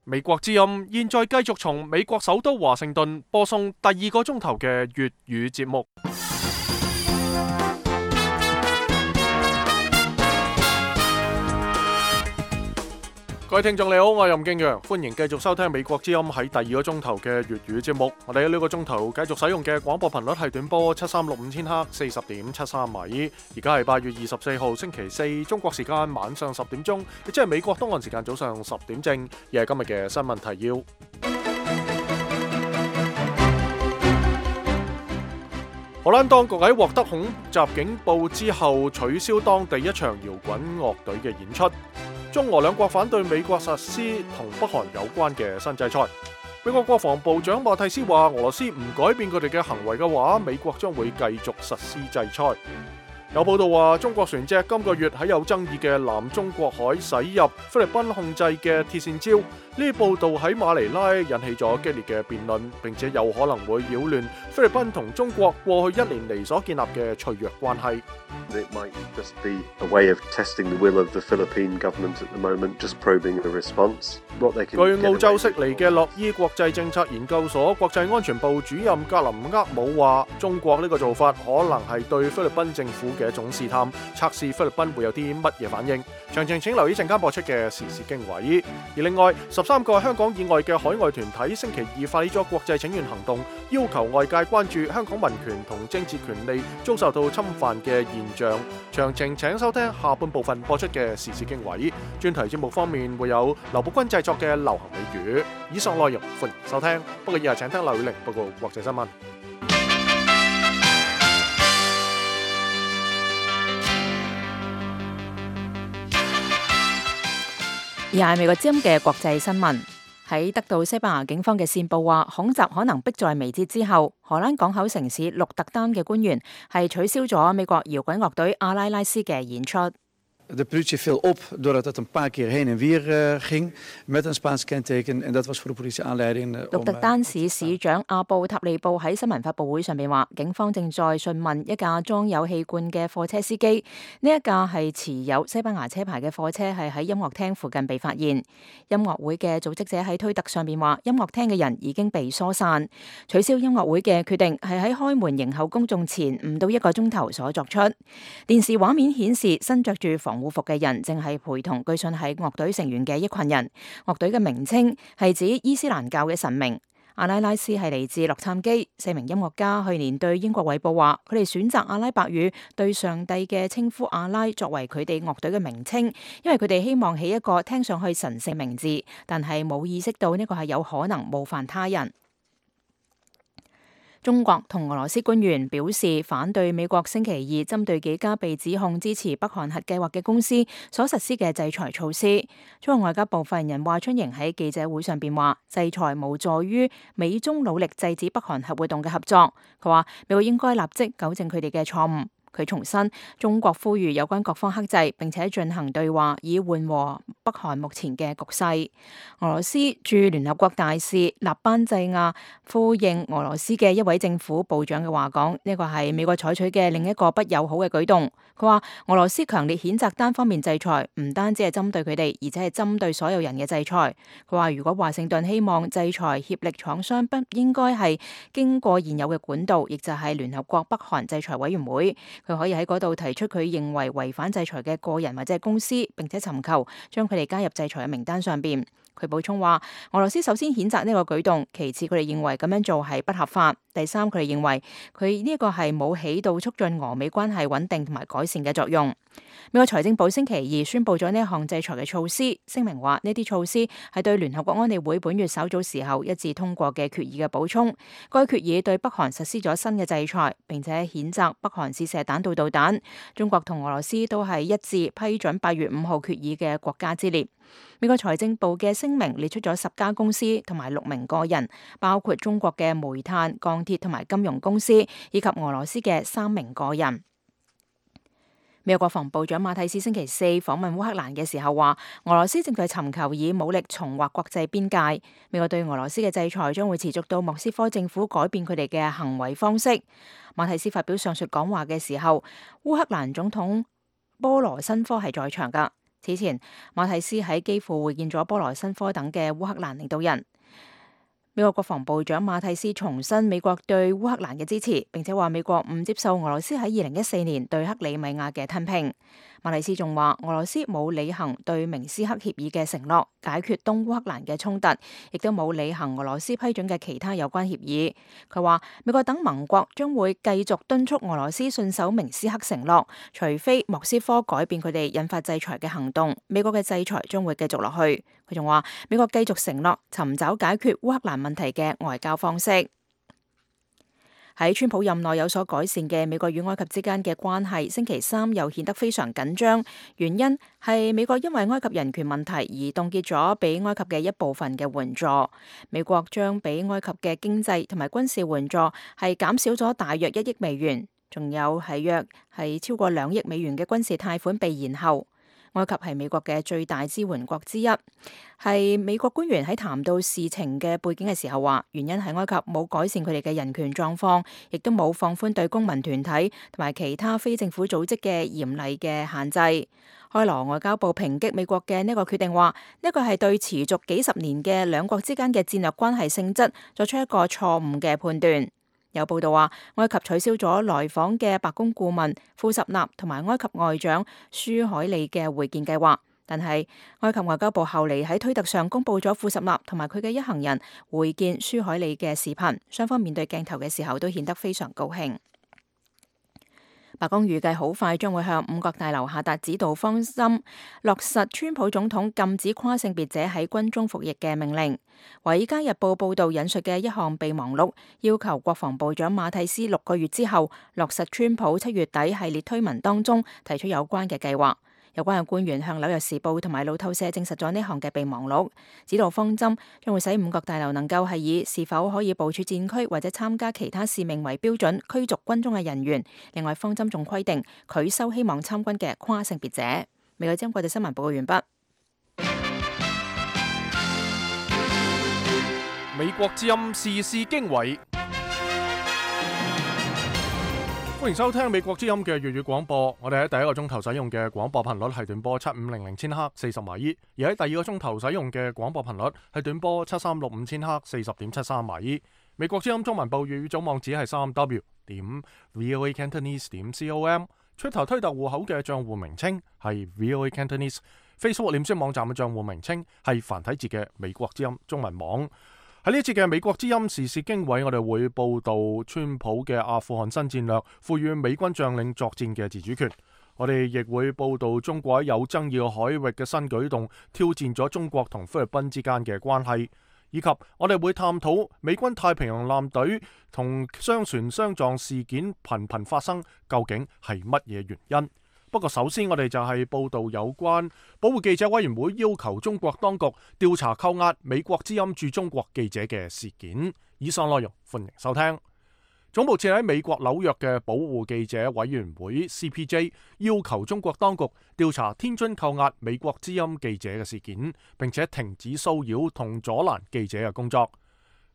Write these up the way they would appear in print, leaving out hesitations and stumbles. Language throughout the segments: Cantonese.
美國之音現在繼續從美國首都華盛頓播送第二個鐘頭嘅粵語節目。各位聽眾你好，我係任敬陽，歡迎繼續收聽美國之音喺第二個鐘頭嘅粵語節目。我哋喺呢個鐘頭繼續使用嘅廣播頻率係短波7365千赫40.73米。而家係8月24號星期四，中國時間晚上10點鐘，亦即係美國東岸時間早上10點正。而係今日嘅新聞提要。荷蘭當局喺獲得恐襲警報之後，取消當地一場搖滾樂隊嘅演出。中俄兩國反對美國實施同北韓有關嘅新制裁。美國國防部長馬蒂斯話，俄羅斯唔改變佢哋嘅行為嘅話，美國將會繼續實施制裁。有報道話，中國船隻今個月喺有爭議嘅南中國海駛入菲律賓控制嘅鐵線礁。呢啲報道喺馬尼拉引起咗激烈嘅辯論，並且有可能會擾亂菲律賓同中國過去1年嚟所建立嘅脆弱關係。It might just be a way of testing the will of the Philippine government at the moment, just probing the response. 據澳洲悉尼嘅洛伊國際政策研究所國際安全部主任格林厄姆話，中國呢個做法可能係對菲律賓政府嘅一種試探，測試菲律賓會有啲乜嘢反應。詳情請留意陣間播出嘅時事經緯。而另外，13個香港以外嘅海外團體星期二發起咗國際請願行動，要求外界關注香港民權同政治權利遭受到侵犯嘅現象。詳情請收聽下半部分播出嘅時事經緯。專題節目方面會有劉寶君製作嘅流行美語。以上內容歡迎收聽。不過以下請聽劉宇玲報告國際新聞。而係美國之音嘅國際新聞，喺得到西班牙警方嘅線報話恐襲可能迫在眉睫之後，荷蘭港口城市鹿特丹嘅官員係取消咗美國搖滾樂隊阿拉拉斯嘅演出。De politie viel op doordat het een paar keer heen en weer ging met een Spaans kenteken en dat was voor de politie aanleiding. 鹿特丹市市長阿布塔利布喺新聞發佈會上面話，警方正在詢問一架裝有氣罐嘅貨車司機，呢一架係持有西班牙車牌嘅貨車係喺音樂廳附近被發現。音樂會嘅組織者喺推特上面話，音樂廳嘅人已經被疏散，取消音樂會嘅決定係喺開門迎候公眾前唔到1個鐘頭所作出。電視畫面顯示身着住防護服嘅人正係陪同據信係樂隊成員嘅一群人。樂隊嘅名稱係指伊斯蘭教嘅神明。阿拉拉斯係嚟自洛杉磯，4名音樂家去年對英國衛報話，佢哋選擇阿拉伯語對上帝嘅稱呼阿拉作為佢哋樂隊嘅名稱，因為佢哋希望起一個聽上去神聖名字，但係冇意識到呢個係有可能冒犯他人。中國同俄羅斯官員表示反對美國星期二針對幾家被指控支持北韓核計劃嘅公司所實施嘅制裁措施。中國外交部發言人華春瑩喺記者會上邊話，制裁無助於美中努力制止北韓核活動嘅合作。佢話美國應該立即糾正佢哋嘅錯誤。佢重申，中國呼籲有關各方克制，並且進行對話，以緩和北韓目前嘅局勢。俄羅斯駐聯合國大使納班濟亞呼應俄羅斯嘅一位政府部長嘅話講，呢個係美國採取嘅另一個不友好嘅舉動。佢話俄羅斯強烈譴責單方面制裁，唔單止係針對佢哋，而且係針對所有人嘅制裁。佢話如果華盛頓希望制裁協力廠商，不應該係經過現有嘅管道，亦就係聯合國北韓制裁委員會。佢可以喺嗰度提出佢認為違反制裁嘅個人或者係公司，並且尋求將佢哋加入制裁嘅名單上邊。佢補充話，俄羅斯首先譴責呢個舉動，其次佢哋認為咁樣做係不合法，第三佢哋認為佢呢個係冇起到促進俄美關係穩定同埋改善嘅作用。美國財政部星期二宣布咗呢一項制裁嘅措施，聲明話呢啲措施係對聯合國安理會本月稍早時候一致通過嘅決議嘅補充。該決議對北韓實施咗新嘅制裁，並且譴責北韓試射彈道導彈。中國同俄羅斯都係一致批准8月5號決議嘅國家之列。美國財政部嘅聲明列出咗10家公司同埋6名個人，包括中國嘅煤炭、鋼鐵同埋金融公司，以及俄羅斯嘅3名個人。美國國防部長馬蒂斯星期四訪問烏克蘭嘅時候話，俄羅斯正在尋求以武力重劃國際邊界。美國對俄羅斯嘅制裁將會持續到莫斯科政府改變佢哋嘅行為方式。馬蒂斯發表上述講話嘅時候，烏克蘭總統波羅申科係在場㗎。此前，馬蒂斯喺基輔會見咗波羅申科等嘅烏克蘭領導人。美國國防部長馬蒂斯重申美國對烏克蘭嘅支持，並且話美國唔接受俄羅斯喺2014年對克里米亞嘅吞併。馬蒂斯仲話俄羅斯冇履行對明斯克協議嘅承諾，解決東烏克蘭嘅衝突，亦都冇履行俄羅斯批准嘅其他有關協議。佢話美國等盟國將會繼續敦促俄羅斯信守明斯克承諾，除非莫斯科改變佢哋引發制裁嘅行動，美國嘅制裁將會繼續落去。佢仲話美國繼續承諾尋找解決烏克蘭問題嘅外交方式。喺川普任內有所改善嘅美國與埃及之間嘅關係，星期三又顯得非常緊張。原因係美國因為埃及人權問題而凍結咗俾埃及嘅一部分嘅援助。美國將俾埃及嘅經濟同埋軍事援助係減少咗大約1億美元，仲有係約超過2億美元嘅軍事貸款被延後。埃及係美國嘅最大支援國之一，係美國官員喺談到事情嘅背景嘅時候話，原因係埃及冇改善佢哋嘅人權狀況，亦都冇放寬對公民團體同埋其他非政府組織嘅嚴厲嘅限制。開羅外交部抨擊美國嘅呢個決定話，呢個係對持續幾十年嘅兩國之間嘅戰略關係性質作出一個錯誤嘅判斷。有報道話，埃及取消咗來訪嘅白宮顧問庫什納同埋埃及外長舒海利嘅會見計劃，但係埃及外交部後嚟喺推特上公佈咗庫什納同埋佢嘅一行人會見舒海利嘅視頻，雙方面對鏡頭嘅時候都顯得非常高興。白宮預計好快將會向五角大樓下達指導方針，落實川普總統禁止跨性別者喺軍中服役嘅命令。華爾街日報報導引述嘅一項備忘錄，要求國防部長馬蒂斯6個月之後落實川普7月底系列推文當中提出有關嘅計劃。有關嘅官員向紐約時報同埋路透社證實咗呢項嘅備忘錄，指導方針將會使五角大樓能夠係以是否可以部署戰區或者參加其他使命為標準驅逐軍中嘅人員。另外，方針仲規定拒收希望參軍嘅跨性別者。美國之音國際新聞報告完畢。美國之音時事經緯。歡迎收聽美國之音嘅粵語廣播。我哋喺第一個鐘頭使用嘅廣播頻率係短波7500千赫40馬伊，而喺第二個鐘頭使用嘅廣播頻率係短波7365千赫40.73馬伊。美國之音中文部粵語總網址係3w.voacantonese.com。出頭推特戶口嘅賬戶名稱係 VOA Cantonese。Facebook 臉書網站嘅賬戶名稱係繁體字嘅美國之音中文網。喺呢一節嘅美國之音時事經緯，我哋會報道川普嘅阿富汗新戰略，賦予美軍將領作戰嘅自主權。我哋亦會報道中國喺有爭議嘅海域嘅新舉動，挑戰咗中國同菲律賓之間嘅關係，以及我哋會探討美軍太平洋艦隊同商船相撞事件頻頻發生，究竟係乜嘢原因？不過首先我哋就係報道有關保護記者委員會要求中國當局調查扣押美國之音駐中國記者嘅事件。以上內容歡迎收聽。總部設喺美國紐約嘅保護記者委員會 CPJ 要求中國當局調查天津扣押美國之音記者嘅事件，並且停止騷擾同阻攔記者嘅工作。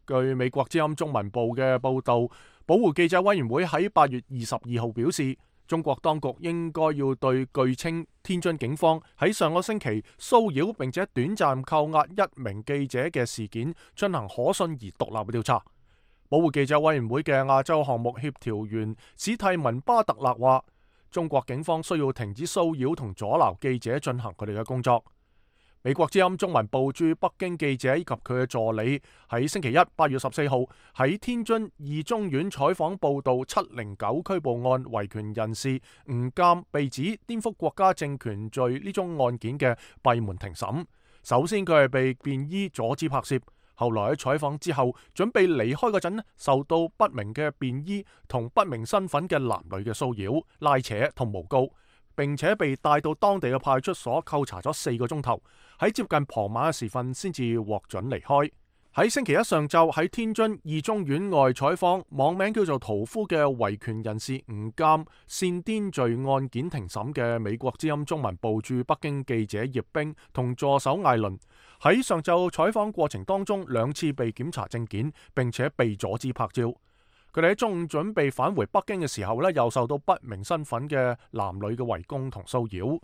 據美國之音中文部嘅報道，保護記者委員會喺8月22號表示，中國當局應該要對據稱天津警方喺上個星期騷擾並且短暫扣押1名記者嘅事件進行可信而獨立嘅調查。保護記者委員會嘅亞洲項目協調員史蒂文巴特勒話，中國警方需要停止騷擾同阻撓記者進行佢哋嘅工作。美國之音中文部駐北京記者以及佢嘅助理喺星期一8月14號喺天津二中院採訪報道709拘捕案維權人士吳鑑被指顛覆國家政權罪呢宗案件嘅閉門庭審。首先佢係被便衣阻止拍攝，後來喺採訪之後準備離開嗰陣，受到不明嘅便衣同不明身份嘅男女嘅騷擾、拉扯同誣告，並且被帶到當地嘅派出所扣查咗4個鐘頭，喺接近傍晚嘅時分先至獲准離開。喺星期一上晝喺天津二中院外採訪網名叫做屠夫嘅維權人士吳鑑煽顛罪案件庭審嘅美國之音中文部駐北京記者葉冰同助手艾倫，喺上晝採訪過程當中2次被檢查證件，並且被阻止拍照。佢哋喺中午準備返回北京嘅時候又受到不明身份嘅男女嘅圍攻同騷擾。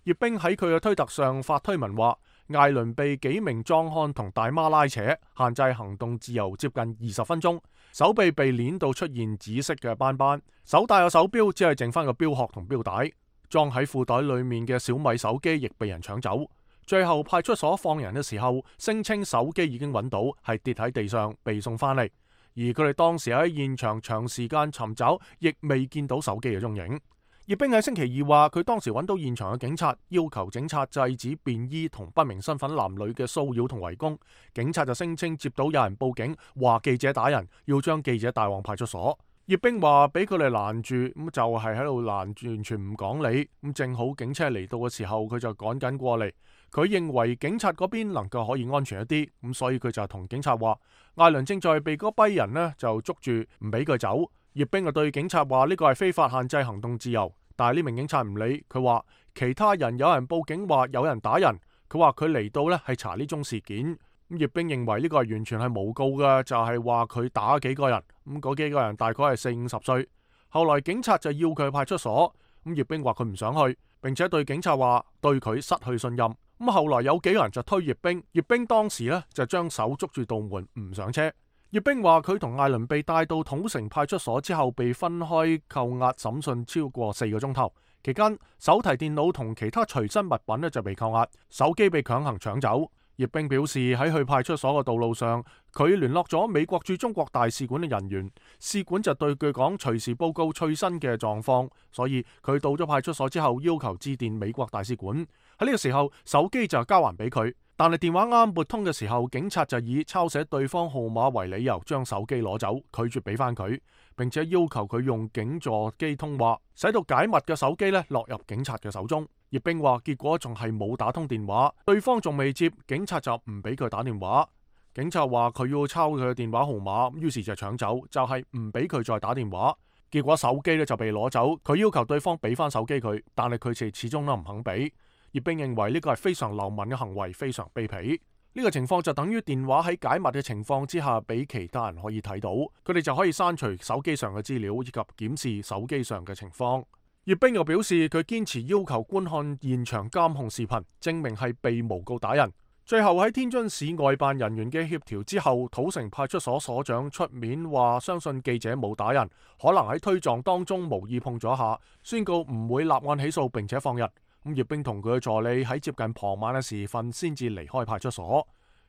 葉冰喺佢嘅推特上發推文話，艾倫被幾名壯漢同大媽拉扯，限制行動自由接近20分鐘，手臂被鏈到出現紫色嘅斑斑，手戴嘅手錶只係剩翻個錶殼同錶帶，裝喺褲袋裏面嘅小米手機亦被人搶走。最後派出所放人嘅時候，聲稱手機已經揾到，係跌喺地上被送翻嚟，而佢哋當時喺現場長時間尋找，亦未見到手機嘅蹤影。葉冰喺星期二話，佢當時揾到現場嘅警察，要求警察制止便衣同不明身份男女嘅騷擾同圍攻。警察就聲稱接到有人報警，話記者打人，要將記者帶往派出所。葉冰話俾佢哋攔住，咁就係喺度攔住，完全唔講理。咁正好警車嚟到嘅時候，佢就趕緊過嚟。佢認為警察嗰邊能夠可以安全一啲，咁所以佢就同警察話，艾倫正在被嗰批人呢就捉住，唔俾佢走。葉冰就對警察話呢個係非法限制行動自由，但係呢名警察唔理，佢話其他人有人報警話有人打人，佢話佢嚟到呢係查呢宗事件。咁葉冰認為呢個係完全係誣告嘅，就係話佢打幾個人，咁嗰幾個人大概係40-50歲。後來警察就要佢去派出所，咁葉冰話佢唔想去，並且對警察話對佢失去信任。咁後來有幾個人就推葉冰，葉冰當時呢就將手捉住道門唔上車。葉冰話佢同艾倫被帶到土城派出所之後，被分開扣押審訊超過4個鐘頭，期間手提電腦同其他隨身物品呢就被扣押，手機被強行搶走。葉冰表示喺去派出所嘅道路上，佢聯絡咗美國駐中國大使館嘅人員，使館就對佢講隨時報告最新嘅狀況，所以佢到咗派出所之後要求致電美國大使館。喺呢個時候手機就交還俾佢，但係電話啱撥通嘅時候，警察就以抄寫對方號碼為理由將手機攞走，拒絕俾翻佢，並且要求佢用警助機通話，使到解密嘅手機呢落入警察嘅手中。葉冰話結果仲係冇打通電話，對方仲未接，警察就唔俾佢打電話。警察話佢要抄佢嘅電話號碼，於是就搶走，就係唔俾佢再打電話。結果手機呢就被攞走，佢要求對方俾翻手機佢，但係佢哋始終都唔肯俾。葉冰認為呢個係非常流氓嘅行為，非常卑鄙。呢個情況就等於電話喺解密嘅情況之下俾其他人可以睇到，佢哋就可以刪除手機上嘅資料以及檢視手機上嘅情況。葉冰又表示佢堅持要求觀看現場監控視頻，證明係被誣告打人。最後喺天津市外辦人員嘅協調之後，土城派出所所長出面話相信記者冇打人，可能喺推撞當中無意碰咗下，宣告唔會立案起訴並且放人。咁葉冰同佢嘅助理喺接近傍晚嘅時分先至離開派出所。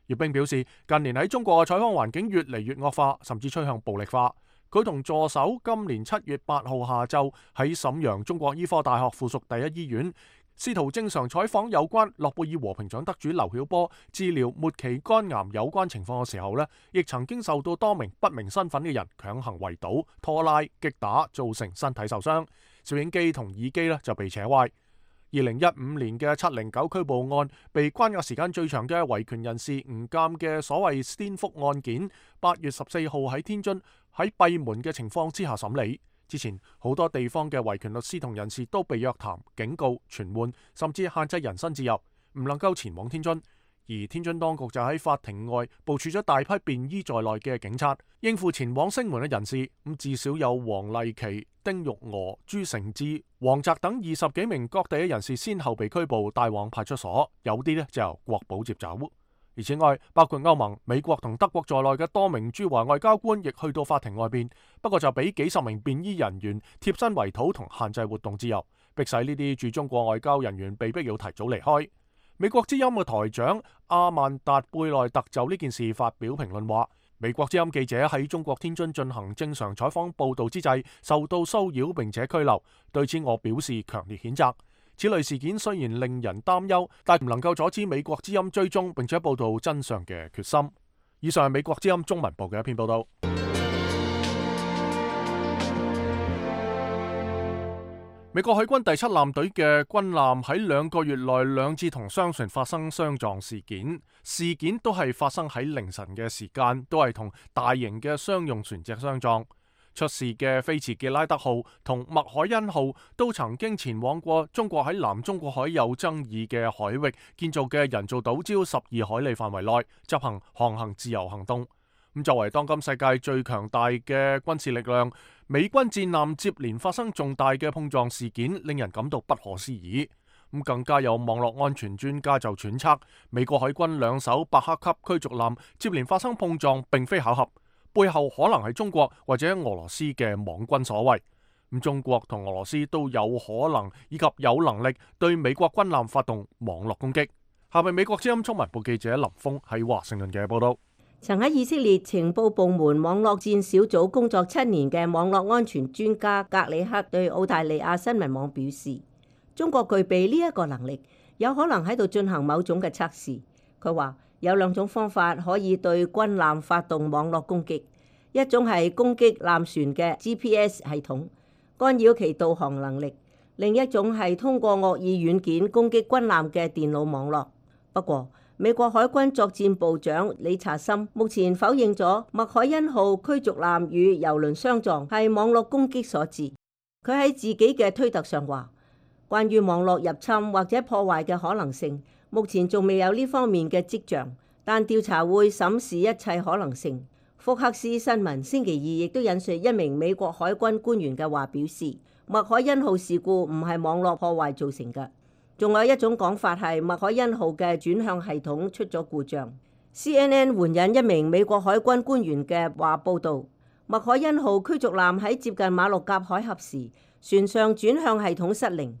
葉冰表示近年喺中國嘅採訪環境越嚟越惡化，甚至趨向暴力化。佢同助手今年7月8號下晝喺瀋陽中國醫科大學附屬第一醫院，試圖正常採訪有關諾貝爾和平獎得主劉曉波治療末期肝癌有關情況嘅時候呢，亦曾經受到多名不明身份嘅人強行圍堵、拖拉、擊打，造成身體受傷。攝影機同耳機呢就被扯壞。2015年嘅709拘捕案，被關押時間最長嘅維權人士吳鑑嘅所謂顛覆案件，8月14號喺天津喺閉門嘅情況之下審理。之前好多地方嘅維權律師同人士都被約談、警告、傳喚，甚至限制人身自由，唔能夠前往天津。而天津當局就喺法庭外部署咗大批便衣在內嘅警察，應付前往聲門嘅人士。至少有黃麗琪、丁玉娥、朱成志、黃澤等20幾名各地嘅人士先後被拘捕，帶往派出所，有啲呢就由國保接走。而此外，包括歐盟、美國同德國在內嘅多名駐華外交官亦去到法庭外邊，不過就俾幾十名便衣人員貼身圍堵同限制活動自由，迫使呢啲駐中國外交人員被迫要提早離開。美國之音嘅台長阿曼達貝內特就呢件事發表評論話，美國之音記者喺中國天津進行正常採訪報道之際受到騷擾並且拘留，對此我表示強烈譴責。此類事件雖然令人擔憂，但唔能夠阻止美國之音追蹤並且報道真相嘅決心。以上係美國之音中文部嘅一篇報道。美國海軍第7艦隊嘅軍艦喺2個月內2次同商船發生相撞事件，事件都係發生喺凌晨嘅時間，都係同大型嘅商用船隻相撞。出事嘅菲茨傑拉德號同麥凱恩號都曾經前往過中國喺南中國海有爭議嘅海域建造嘅人造島礁12海里範圍內執行航行自由行動。作為當今世界最強大嘅軍事力量，美軍戰艦接連發生重大嘅碰撞事件，令人感到不可思議。咁更加有網絡安全專家就揣測，美國海軍兩艘伯克級驅逐艦接連發生碰撞並非巧合，背後可能係中國或者俄羅斯嘅網軍所為。咁中國同俄羅斯都有可能以及有能力對美國軍艦發動網絡攻擊。下邊美國之音中文部記者林峰喺華盛頓嘅報道。曾喺以色列情報部門網絡戰小組工作7年嘅網絡安全專家格里克對澳大利亞新聞網表示，中國具備呢一個能力，有可能喺度進行某種嘅測試。佢話有2種方法可以對軍艦發動網絡攻擊，一種係攻擊艦船嘅 GPS 系統，干擾其導航能力；另一種係通過惡意軟件攻擊軍艦嘅電腦網絡。不過，美國海軍作戰部長理查森目前否認咗麥凱恩號驅逐艦與油輪相撞係網絡攻擊所致。佢喺自己嘅推特上話，關於網絡入侵或者破壞嘅可能性，目前仲未有呢方面嘅跡象，但調查會審視一切可能性。福克斯新聞星期二亦都引述一名美國海軍官員嘅話表示，麥凱恩號事故唔係網絡破壞造成嘅。仲有一種講法係麥凱恩號嘅轉向系統出咗故障。CNN 援引一名美國海軍官員嘅話報導，麥凱恩號驅逐艦喺接近馬六甲海峽時，船上轉向系統失靈。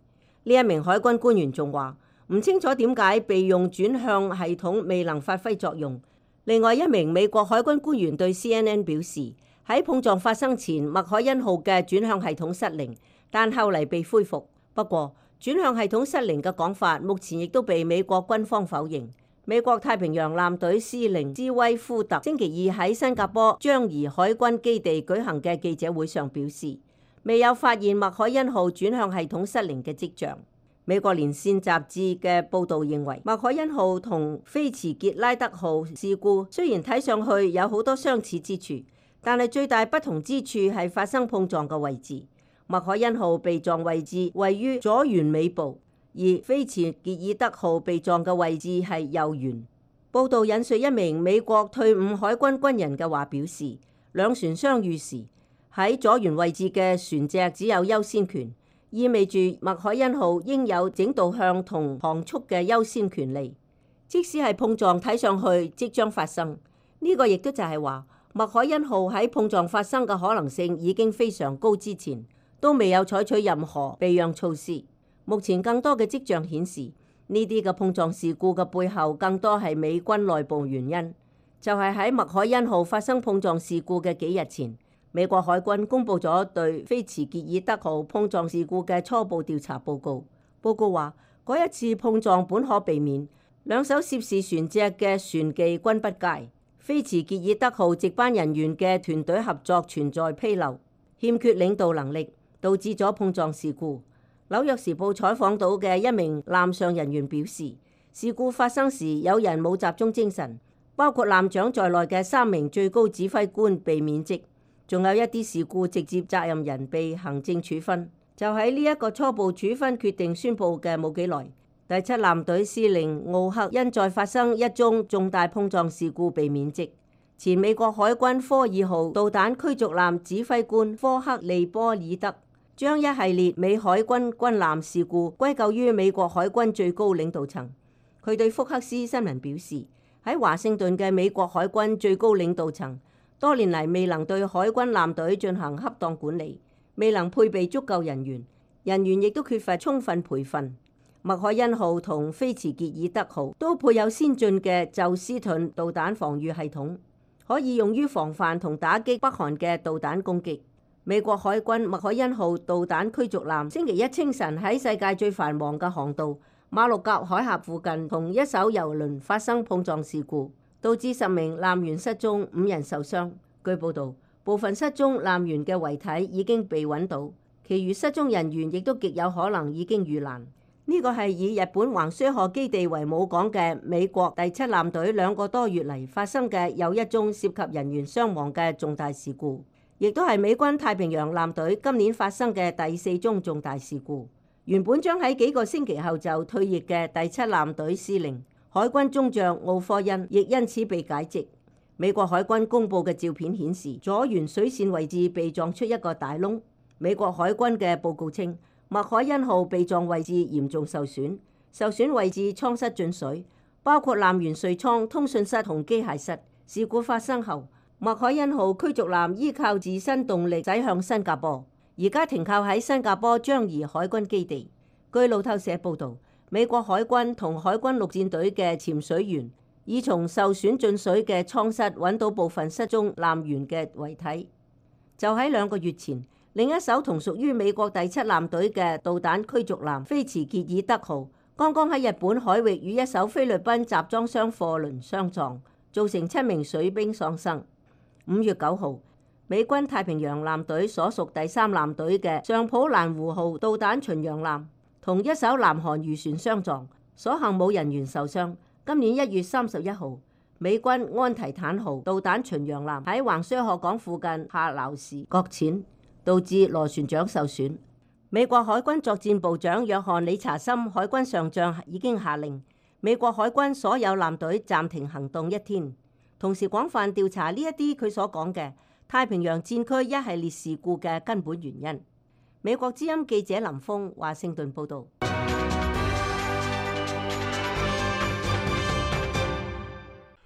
呢一名海軍官員仲話，唔清楚點解備用轉向系統未能發揮作用。另外一名美國海軍官員對 CNN 表示，喺碰撞發生前，麥凱恩號嘅轉向系統失靈，但後嚟被恢復。不過，轉向系統失靈嘅講法，目前亦都被美國軍方否認。美國太平洋艦隊司令茲威夫特星期二喺新加坡樟宜海軍基地舉行嘅記者會上表示，未有發現麥凱恩號轉向系統失靈嘅跡象。美國連線雜誌嘅報導認為，麥凱恩號同菲茨傑拉德號事故雖然睇上去有好多相似之處，但係最大不同之處係發生碰撞嘅位置。麥凱恩號被撞位置位於左舷尾部，而菲茨傑爾德號被撞嘅位置係右舷。報道引述一名美國退伍海軍軍人嘅話表示，兩船相遇時，喺左舷位置嘅船隻只有優先權，意味住麥凱恩號應有整導向同航速嘅優先權利。即使係碰撞睇上去即將發生，呢個亦都就係話麥凱恩號喺碰撞發生嘅可能性已經非常高之前，都未有採取任何避讓措施。目前更多嘅跡象顯示，呢啲嘅碰撞事故嘅背後更多係美軍內部原因。就係喺麥凱恩號發生碰撞事故嘅幾日前，美國海軍公布咗對菲茨傑爾德號碰撞事故嘅初步調查報告。報告話，嗰一次碰撞本可避免，兩艘涉事船隻嘅船技均不佳，菲茨傑爾德號值班人員嘅團隊合作存在紕漏，欠缺領導能力，導致咗碰撞事故。紐約時報採訪到嘅一名艦上人員表示，事故發生時有人冇集中精神，包括艦長在內嘅3名最高指揮官被免職，仲有一啲事故直接責任人被行政處分。就喺呢一個初步處分決定宣佈嘅冇幾耐，第7艦隊司令奧克因再發生一宗重大碰撞事故被免職。前美國海軍科爾號導彈驅逐艦指揮官科克利波爾德將一系列美海軍軍艦事故歸咎於美國海軍最高領導層。佢對福克斯新聞表示，喺華盛頓嘅美國海軍最高領導層多年嚟未能對海軍艦隊進行恰當管理，未能配備足夠人員亦都缺乏充分培訓。麥凱恩號同菲茨傑爾德號都配有先進嘅宙斯盾導彈防禦系統，可以用於防範同打擊北韓嘅導彈攻擊。美國海軍麥凱恩號導彈驅逐艦星期一清晨喺世界最繁忙嘅航道馬六甲海峽附近同一艘油輪發生碰撞事故，導致10名艦員失蹤，5人受傷。據報導，部分失蹤艦員嘅遺體已經被揾到，其餘失蹤人員亦都極有可能已經遇難。呢個係以日本橫須賀基地為母港嘅美國第7艦隊2個多月嚟發生嘅又一宗涉及人員傷亡嘅重大事故，亦都係美軍太平洋艦隊今年發生嘅第4宗重大事故。原本將喺幾個星期後就退役嘅第7艦隊司令海軍中將奧科恩亦因此被解職。美國海軍公佈嘅照片顯示，左舷水線位置被撞出一個大窿。美國海軍嘅報告稱，麥凱恩號被撞位置嚴重受損，受損位置艙室進水，包括艦員睡艙、通訊室同機械室。事故發生後，麥凱恩號驅逐艦依靠自身動力駛向新加坡，而家停靠喺新加坡樟宜海軍基地。據路透社報導，美國海軍同海軍陸戰隊嘅潛水員已從受損進水嘅艙室揾到部分失蹤艦員嘅遺體。就喺2個月前，另一艘同屬於美國第7艦隊嘅導彈驅逐艦菲茨傑爾德號，剛剛喺日本海域與一艘菲律賓集裝箱貨輪相撞，造成7名水兵喪生。5月9號，美軍太平洋艦隊所屬第3艦隊嘅上普蘭湖號導彈巡洋艦同一艘南韓漁船相撞，所幸冇人員受傷。今年1月31號，美軍安提坦號導彈巡洋艦喺橫須賀港附近下撈時擱淺，導致螺旋槳受損。美國海軍作戰部長約翰理查森海軍上將已經下令美國海軍所有艦隊暫停行動1天，同時廣泛調查呢一啲佢所講嘅太平洋戰區一系列事故嘅根本原因。美國之音記者林峰華盛頓報導。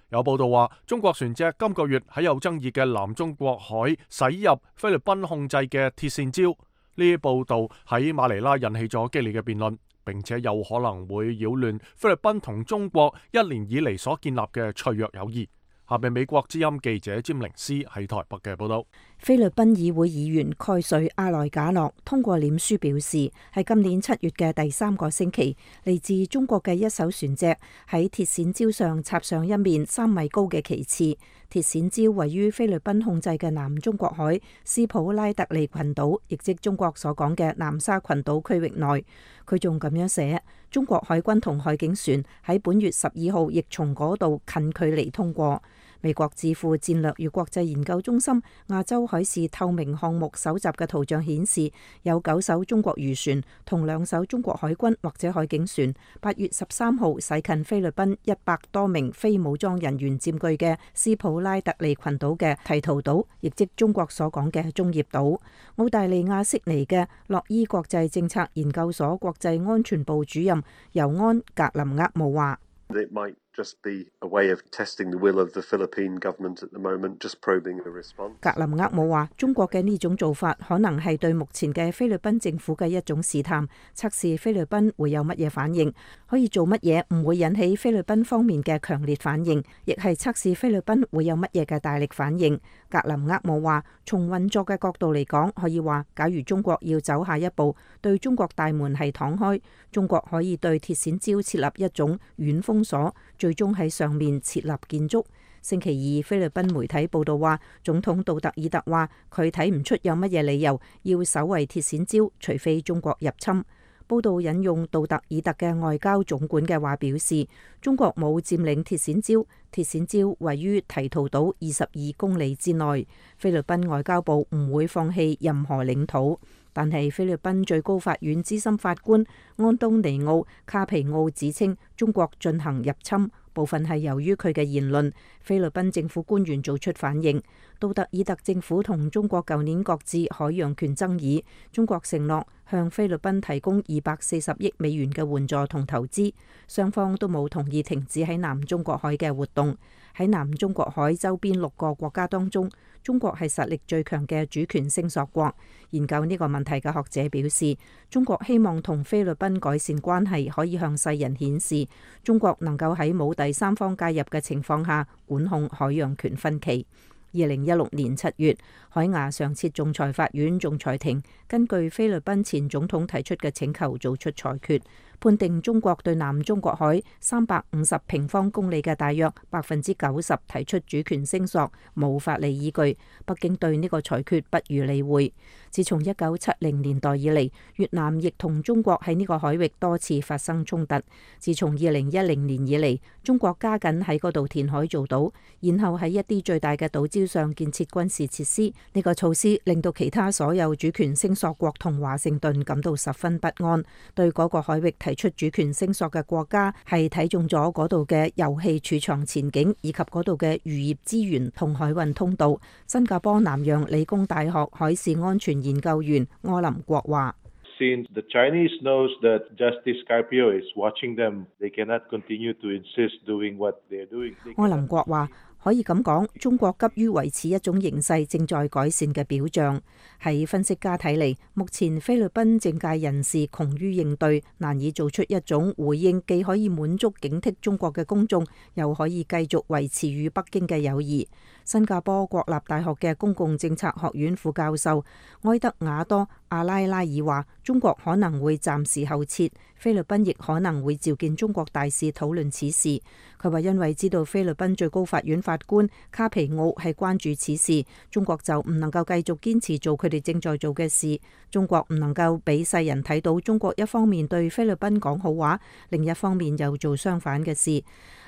有報道話，中國船隻今個月喺有爭議嘅南中國海駛入菲律賓控制嘅鐵線礁。呢啲報道喺馬尼拉引起咗激烈嘅辯論，並且有可能會擾亂菲律賓同中國1年以嚟所建立嘅脆弱友誼。下面美國之音記者詹寧斯喺台北嘅報道。菲律賓議會議員蓋瑞阿萊賈諾通過臉書表示，喺今年7月嘅第3個星期，嚟自中國嘅一艘船隻喺鐵線礁上插上一面3米高嘅旗幟。鐵線礁位於菲律賓控制嘅南中國海斯普拉特利群島，亦即中國所講嘅南沙群島區域內。佢仲咁樣寫：中國海軍同海警船喺本月12號亦從嗰度近距離通過。美國智庫戰略與國際研究中心亞洲海事透明項目搜集嘅圖像顯示，有9艘中國漁船同2艘中國海軍或者海警船8月13號駛近菲律賓100多名非武裝人員佔據嘅斯普拉特利群島嘅提圖島，亦即中國所講嘅中業島。澳大利亞悉尼嘅洛伊國際政策研究所國際安全部主任尤安格林厄姆話：It might just be a way of testing the will of the Philippine government at the moment, just probing a response. 格林厄姆話：中國嘅呢種做法可能係對目前嘅菲律賓政府嘅一種試探，測試菲律賓會有乜嘢反應，可以做乜嘢唔會引起菲律賓方面嘅強烈反應，亦係測試菲律賓會有乜嘢嘅大力反應。格林厄姆話：從運作嘅角度嚟講，可以話，假如中國要走下一步，對中國大門係敞開，中國可以對鐵線礁設立一種軟封鎖，最終喺上面設立建築。星期二，菲律賓媒體報道話，總統杜特爾特話佢睇唔出有乜嘢理由要守衛鐵線礁，除非中國入侵。報道引用杜特爾特嘅外交總管嘅話表示，中國冇佔領鐵線礁，鐵線礁位於提圖島22公里之內。菲律賓外交部唔會放棄任何領土。但係菲律賓最高法院資深法官安東尼奧卡皮奧指稱中國進行入侵，部分係由於佢嘅言論。菲律賓政府官員做出反應。杜特爾特政府同中國舊年擱置海洋權爭議，中國承諾向菲律賓提供240億美元嘅援助同投資，雙方都冇同意停止喺南中國海嘅活動。喺南中國海周邊6個國家當中，中國係實力最強嘅主權聲索國。研究呢個問題嘅學者表示，中國希望同菲律賓改善關係，可以向世人顯示中國能夠喺冇第三方介入嘅情況下管控海洋權分歧。2016年7月，海牙上設仲裁法院仲裁庭根據菲律賓前總統提出嘅請求做出裁決，判定中國對南中國海350平方公里嘅大約90%提出主權聲索，冇法理依據。北京對呢個裁決不予理會。自從1970年代以嚟，越南亦同中國喺呢個海域多次發生衝突。自從2010年以嚟，中國加緊喺嗰度填海造島，然後喺一啲最大嘅島礁上建設軍事設施。呢個措施令到其他所有主權聲索國同華盛頓感到十分不安。對嗰個海域提出主權聲索嘅國家係睇中咗嗰度嘅油氣儲藏前景，以及嗰度嘅漁業資源同海運通道。新加坡南洋理工大學海事安全研究員柯林國話： since the Chinese knows that Justice Carpio is watching them, they cannot continue to insist doing what they're doing. 柯林國話：可以咁講，中國急於維持一種形勢正在改善嘅表象。喺分析家睇嚟，目前菲律賓政界人士窮於應對，難以做出一種回應，既可以滿足警惕中國嘅公眾，又可以繼續維持與北京嘅友誼。新加坡國立大學嘅公共政策學院副教授埃德瓦多·阿拉拉爾話：中國可能會暫時後撤，菲律賓亦可能會召見中國大使討論此事。佢話因為知道菲律賓最高法院法官卡皮奧係關注此事，中國就唔能夠繼續堅持做佢哋正在做嘅事。中國唔能夠俾世人睇到中國一方面對菲律賓講好話，另一方面又做相反嘅事。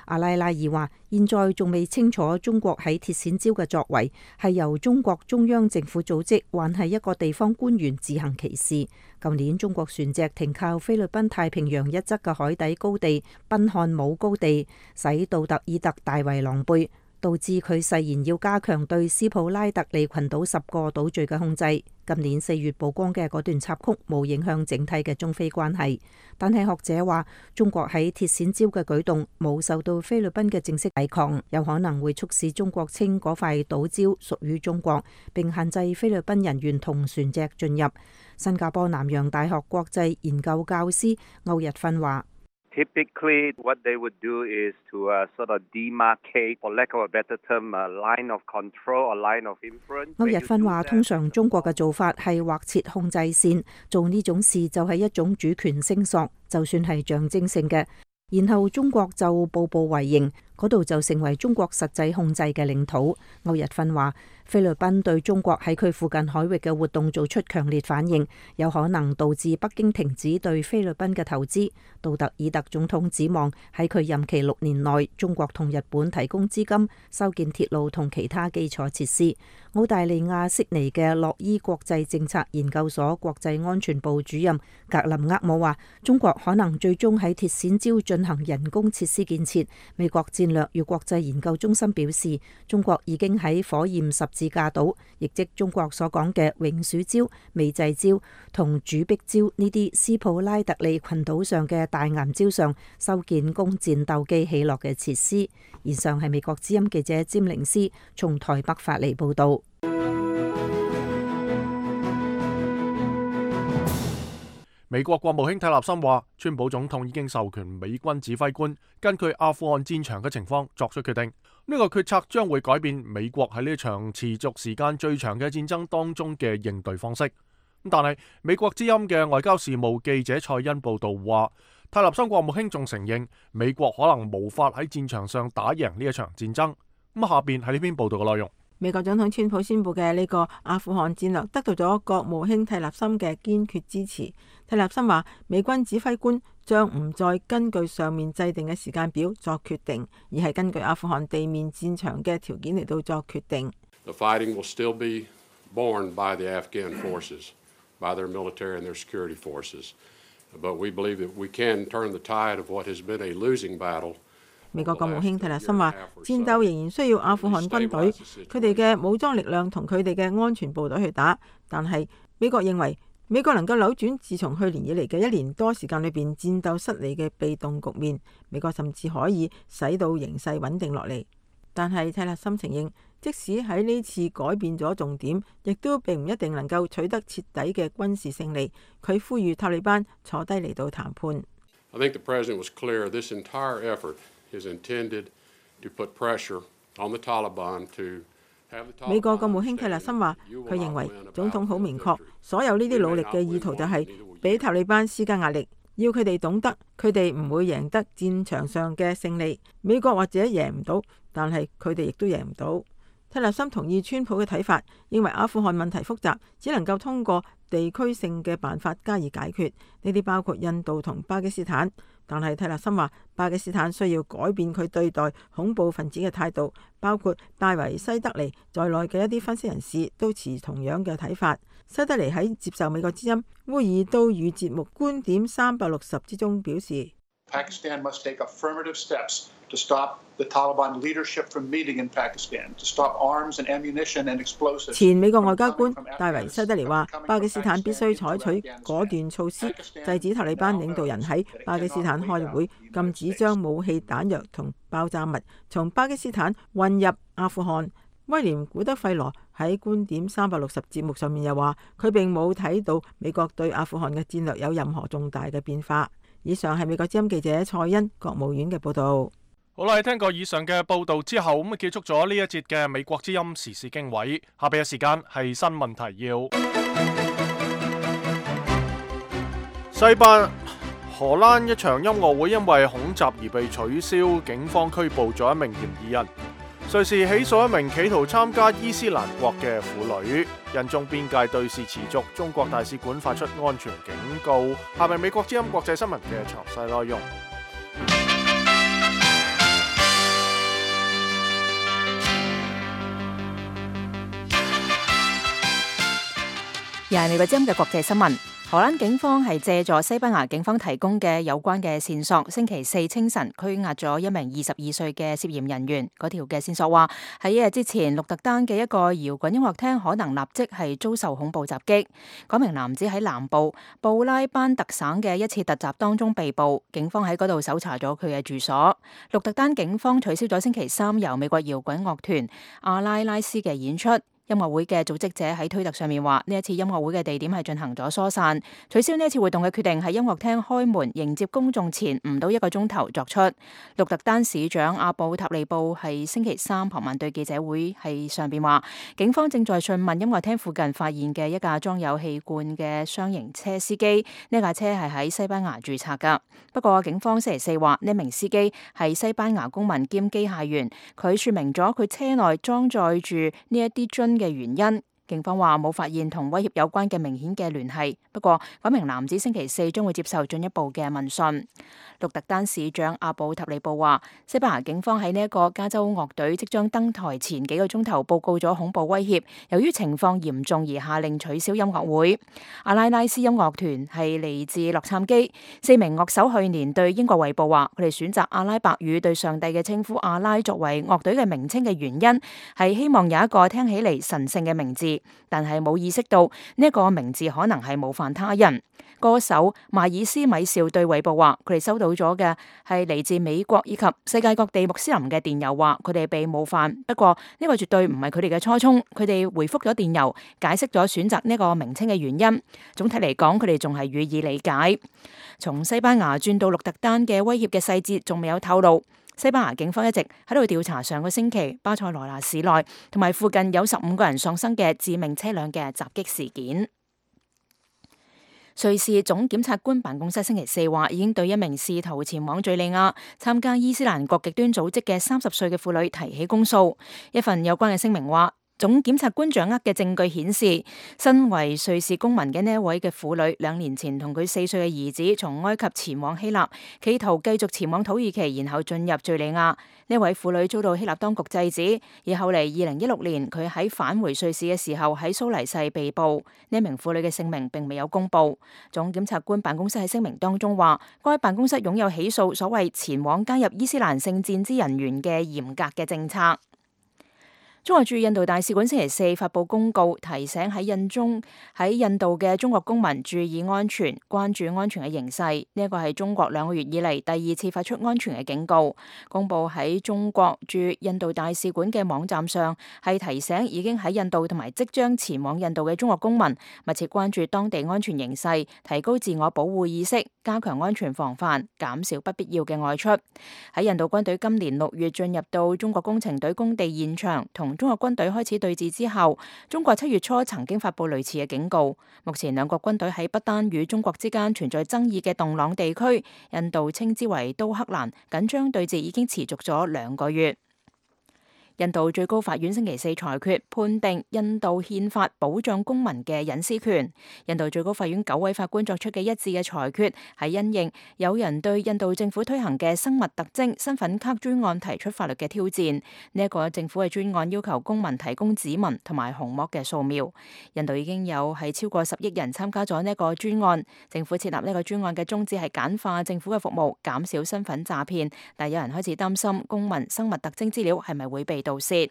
阿拉拉爾話：現在仲未清楚中國喺鐵線礁嘅作為係由中國中央政府組織，還係一個地方官員自行其事。舊年中國船隻停靠菲律賓太平洋一側嘅海底高地賓漢姆高地，使杜特爾特大為狼狽，導致佢誓言要加強對斯普拉特利群島10個島嶼嘅控制。今年4月曝光嘅嗰段插曲冇影響整體嘅中菲關係，但係學者話中國喺鐵線礁嘅舉動冇受到菲律賓嘅正式抵抗，有可能會促使中國稱嗰塊島礁屬於中國，並限制菲律賓人員同船隻進入。新加坡南洋大學國際研究教師歐日訓話：Typically, what they would do is to sort of demarcate, for lack of a better term, a line of control, a line of influence. 歐日訓話：通常中國嘅做法係劃設控制線，做呢種事就係一種主權聲索，就算係象徵性嘅。然後中國就步步為營，嗰度就成為中國實際控制嘅領土。歐日訓話：菲律賓對中國喺佢附近海域嘅活動做出強烈反應，有可能導致北京停止對菲律賓嘅投資。杜特爾特總統指望喺佢任期6年內，中國同日本提供資金，修建鐵路同其他基礎設施。澳大利亞悉尼嘅洛伊國際政策研究所國際安全部主任格林厄姆話：中國可能最終喺鐵線礁進行人工設施建設。美國戰略與國際研究中心表示，中國已經喺火焰十字架島，亦即中國所講嘅永暑礁、美濟礁同主碧礁呢啲斯普拉特利群島上嘅大岩礁上修建供戰鬥機起落嘅設施。以上係美國之音記者詹寧斯從台北發嚟報道。美國國務卿泰勒森話，川普總統已經授權美軍指揮官根據阿富汗戰場嘅情況作出決定。呢個決策將會改變美國喺呢場持續時間最長嘅戰爭當中嘅應對方式。但係美國之音嘅外交事務記者蔡恩報道話，泰勒森國務卿仲承認美國可能無法喺戰場上打贏呢一場戰爭。咁下邊係呢篇報道嘅內容。美國總統川普宣布嘅呢個阿富汗戰略得到咗國務卿泰勒森嘅堅決支持。泰勒森話，美軍指揮官將唔再根據上面制定嘅時間表作決定，而係根據阿富汗地面戰場嘅條件嚟到作決定。The fighting will still be borne by the Afghan forces, by their military and their security forces. But we believe that we can turn the tide of what has been a losing battle. 美國國務卿泰勒森話，戰鬥仍然需要阿富汗軍隊，佢哋嘅武裝力量同佢哋嘅安全部隊去打。但係美國認為美國能夠扭轉自從去年以嚟嘅1年多時間裏邊戰鬥失利嘅被動局面，美國甚至可以使到形勢穩定落嚟。但係泰勒森承認，即使喺呢次改變咗重點，亦都並唔一定能夠取得徹底嘅軍事勝利。佢呼籲塔利班坐低嚟到談判。I think the president was clear this entire effort is intended to put pressure on the Taliban to have the Taliban. 美國國務卿泰勒森話，佢認為總統好明確，所有呢啲努力嘅意圖就係俾塔利班施加壓力，要佢哋懂得佢哋唔會贏得戰場上嘅勝利。美國或者贏唔到，但係佢哋亦都贏唔到。泰勒森同意川普嘅睇法，認為阿富汗問題複雜，只能夠通過地區性嘅辦法加以解決。呢啲包括印度同巴基斯坦。但係泰勒森話，巴基斯坦需要改變佢對待恐怖分子嘅態度，包括戴維西德尼在內嘅一啲分析人士都持同樣嘅睇法。西德尼喺接受美國之音烏爾都語節目觀點360之中表示，Pakistan must take affirmative steps to stop the Taliban leadership from meeting in Pakistan, to stop arms and ammunition and explosives. 前美國外交官戴維西德尼話：巴基斯坦必須採取果斷措施，制止塔利班領導人喺巴基斯坦開會，禁止將武器、彈藥同爆炸物從巴基斯坦運入阿富汗。威廉古德費羅喺觀點360節目上面又話：佢並冇睇到美國對阿富汗嘅戰略有任何重大嘅變化。以上係美國之音記者蔡欣國務院嘅報導。好啦，聽過以上嘅報導之後，咁結束咗呢一節嘅美國之音時事經緯。下邊嘅時間係新聞提要。荷蘭一場音樂會因為恐襲而被取消，警方拘捕咗一名嫌疑人。瑞士起訴一名企圖參加伊斯蘭國嘅婦女。印中邊界對峙持續，中國大使館發出安全警告。下面美國之音國際新聞嘅詳細內容。又係美國之音嘅國際新聞。荷蘭警方係借助西班牙警方提供嘅有關嘅線索，星期四清晨拘押咗一名22歲嘅涉嫌人員。嗰條嘅線索話喺一日之前，鹿特丹嘅一個搖滾音樂廳可能立即係遭受恐怖襲擊。嗰名男子喺南部布拉班特省嘅一次突襲當中被捕，警方喺嗰度搜查咗佢嘅住所。鹿特丹警方取消咗星期三由美國搖滾樂團阿拉拉斯嘅演出。音樂會嘅組織者喺推特上面話，呢一次音樂會嘅地點係進行咗疏散，取消呢一次活動嘅決定喺音樂廳開門迎接公眾前唔到1個鐘頭作出。鹿特丹市長阿布塔利布係星期三傍晚對記者會係上邊話，警方正在訊問音樂廳附近發現嘅一架裝有氣罐嘅雙型車司機，呢架車係喺西班牙註冊噶。不過警方星期四話，呢名司機係西班牙公民兼機械員，佢說明咗佢車內裝載住呢一啲樽嘅原因。警方話冇發現同威脅有關嘅明顯嘅聯繫，不過嗰名男子星期四將會接受進一步嘅問訊。鹿特丹市長阿布塔利布話，西班牙警方喺呢一個加州樂隊即將登台前幾個鐘頭報告咗恐怖威脅，由於情況嚴重而下令取消音樂會。阿拉拉斯音樂團係嚟自洛杉磯，4名樂手去年對英國衛報話，佢哋選擇阿拉伯語對上帝嘅稱呼阿拉作為樂隊嘅名稱嘅原因係希望有一個聽起嚟神聖嘅名字，但係冇意識到呢一個名字可能係冒犯他人。歌手邁爾斯米紹對衛報話，佢哋收到咗嘅係嚟自美國以及世界各地穆斯林嘅電郵，話佢哋被冒犯。不過呢個絕對唔係佢哋嘅初衷。佢哋回覆咗電郵，解釋咗選擇呢個名稱嘅原因。總體嚟講，佢哋仲係予以理解。從西班牙轉到鹿特丹嘅威脅嘅細節仲未有透露。西班牙警方一直喺度調查上個星期巴塞羅那市內同埋附近有15個人喪生嘅致命車輛嘅襲擊事件。瑞士總檢察官辦公室星期四話，已經對一名試圖前往敘利亞參加伊斯蘭國極端組織嘅30歲嘅婦女提起公訴。一份有關嘅聲明話，總檢察官掌握嘅證據顯示，身為瑞士公民嘅呢一位嘅婦女，2年前同佢4歲嘅兒子從埃及前往希臘，企圖繼續前往土耳其，然後進入敘利亞。呢位婦女遭到希臘當局制止，而後嚟2016年佢喺返回瑞士嘅時候喺蘇黎世被捕。呢名婦女嘅姓名並未有公布。總檢察官辦公室喺聲明當中話，該辦公室擁有起訴所謂前往加入伊斯蘭聖戰之人員嘅嚴格嘅政策。中國駐印度大使館星期四發布公告，提醒喺印度嘅中國公民注意安全，關注安全嘅形勢。呢一個係中國2個月以嚟第2次發出安全嘅警告。公布喺中國駐印度大使館嘅網站上，係提醒已經喺印度同埋即將前往印度嘅中國公民，密切關注當地安全形勢，提高自我保護意識，加強安全防範，減少不必要嘅外出。喺印度軍隊今年6月進入到中國工程隊工地現場，同中國軍隊開始對峙之後，中國7月初曾經發布類似嘅警告。目前兩國軍隊喺不丹與中國之間存在爭議嘅洞朗地區，印度稱之為都克蘭，緊張對峙已經持續咗2個月。印度最高法院星期四裁決判定印度憲法保障公民嘅隱私權。印度最高法院9位法官作出嘅一致嘅裁決，係因應有人對印度政府推行嘅生物特徵身份卡專案提出法律嘅挑戰。呢一個政府嘅專案要求公民提供指紋同埋虹膜嘅掃描。印度已經有係超過10億人參加咗呢一個專案。政府設立呢個專案嘅宗旨係簡化政府嘅服務，減少身份詐騙。但有人開始擔心公民生物特徵資料係咪會被盜竊。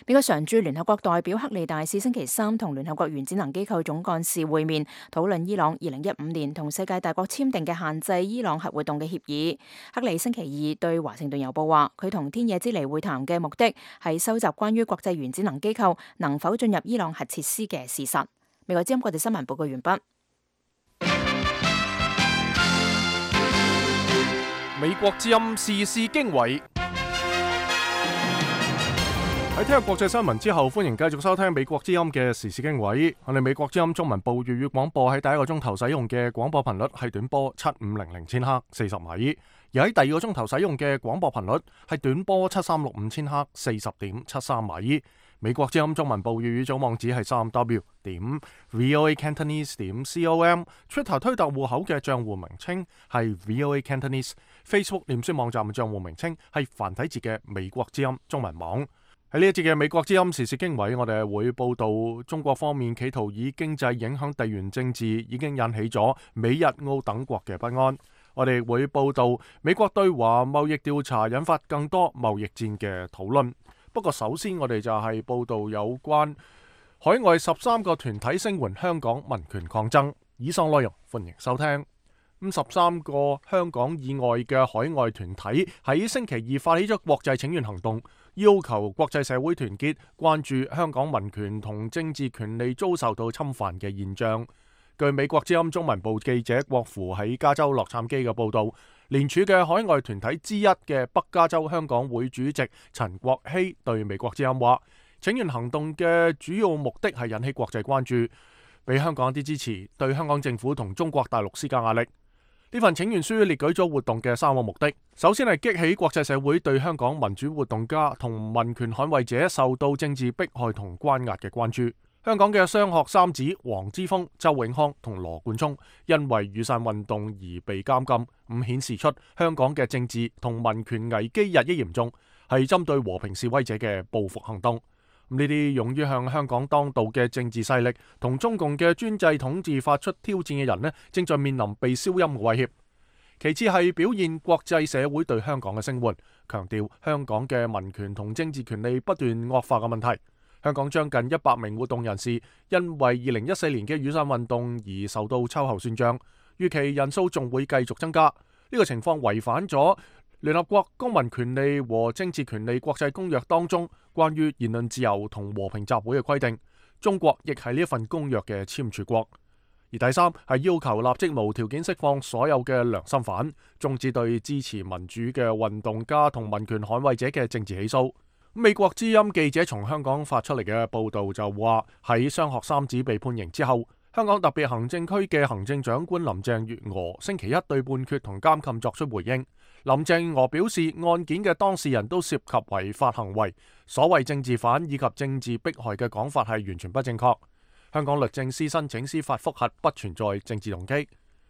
美國常駐聯合國代表克利大使星期三同聯合國原子能機構總幹事會面，討論伊朗2015年同世界大國簽訂嘅限制伊朗核活動嘅協議。克利星期二對華盛頓郵報話，佢同天野之尼會談嘅目的係收集關於國際原子能機構能否進入伊朗核設施嘅事實。美國之音國際新聞報告完畢。美國之音時事經緯。喺聽日國際新聞之後，歡迎繼續收聽美國之音嘅時事經緯。我哋美國之音中文部粵語廣播喺第一個鐘頭使用嘅廣播頻率係短波7500千赫40米，而喺第二個鐘頭使用嘅廣播頻率係短波7365千赫40.73米。美國之音中文部粵語組網址係3w.voacantonese.com，Twitter 推特戶口嘅賬戶名稱係 voacantonese，Facebook 臉書網站嘅賬戶名稱係繁體字嘅美國之音中文網。喺呢一節嘅美國之音時事經緯，我哋會報道中國方面企圖以經濟影響地緣政治，已經引起咗美日澳等國嘅不安。我哋會報道美國對華貿易調查引發更多貿易戰嘅討論。不過首先我哋就係報道有關海外13個團體聲援香港民權抗爭。以上內容歡迎收聽。13個香港以外嘅海外團體喺星期二發起咗國際請願行動，要求國際社會團結，關注香港民權同政治權利遭受到侵犯嘅現象。據美國之音中文部記者郭芙喺加州洛杉磯嘅報道，聯署嘅海外團體之一嘅北加州香港會主席陳國希對美國之音話，請願行動嘅主要目的係引起國際關注，俾香港一啲支持，對香港政府同中國大陸施加壓力。呢份請願書列舉咗活動嘅3個目的，首先係激起國際社會對香港民主活動家同民權捍衛者受到政治迫害同關押嘅關注。香港嘅雙學三子黃之鋒、周永康同羅冠聰因為雨傘運動而被監禁，咁顯示出香港嘅政治同民權危機日益嚴重，係針對和平示威者嘅報復行動。呢啲勇於向香港當道嘅政治勢力同中共嘅專制統治發出挑戰嘅人呢，正在面臨被消音嘅威脅。其次係表現國際社會對香港嘅聲援，強調香港嘅民權同政治權利不斷惡化嘅問題。香港將近100名活動人士因為2014年嘅雨傘運動而受到秋後算賬，預期人數仲會繼續增加。呢個情況違反咗聯合國公民權利和政治權利國際公約當中關於言論自由同和平集會嘅規定。中國亦係呢一份公約嘅簽署國。而第三係要求立即無條件釋放所有嘅良心犯，終止對支持民主嘅運動家同民權捍衛者嘅政治起訴。美國之音記者從香港發出嚟嘅報道就話，喺雙學三子被判刑之後，香港特別行政區嘅行政長官林鄭月娥星期一對判決同監禁作出回應。林鄭月娥表示，案件嘅當事人都涉及違法行為，所謂政治犯以及政治迫害嘅講法係完全不正確。香港律政司申請司法覆核，不存在政治動機。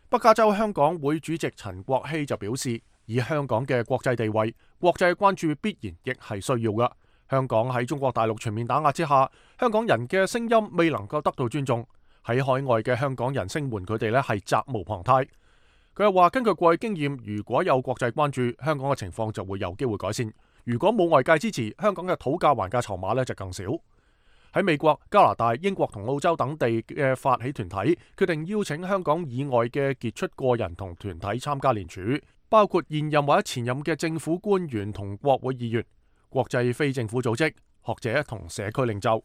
北加州香港會主席陳國希就表示，以香港嘅國際地位，國際關注必然亦係需要嘅。香港喺中國大陸全面打壓之下，香港人嘅聲音未能夠得到尊重，喺海外嘅香港人聲援佢哋呢係責無旁貸。佢又話，根據過去經驗，如果有國際關注，香港嘅情況就會有機會改善。如果冇外界支持，香港嘅討價還價籌碼呢就更少。喺美國、加拿大、英國同澳洲等地嘅發起團體決定邀請香港以外嘅傑出個人同團體參加聯署，包括現任或者前任嘅政府官員同國會議員、國際非政府組織、學者同社區領袖。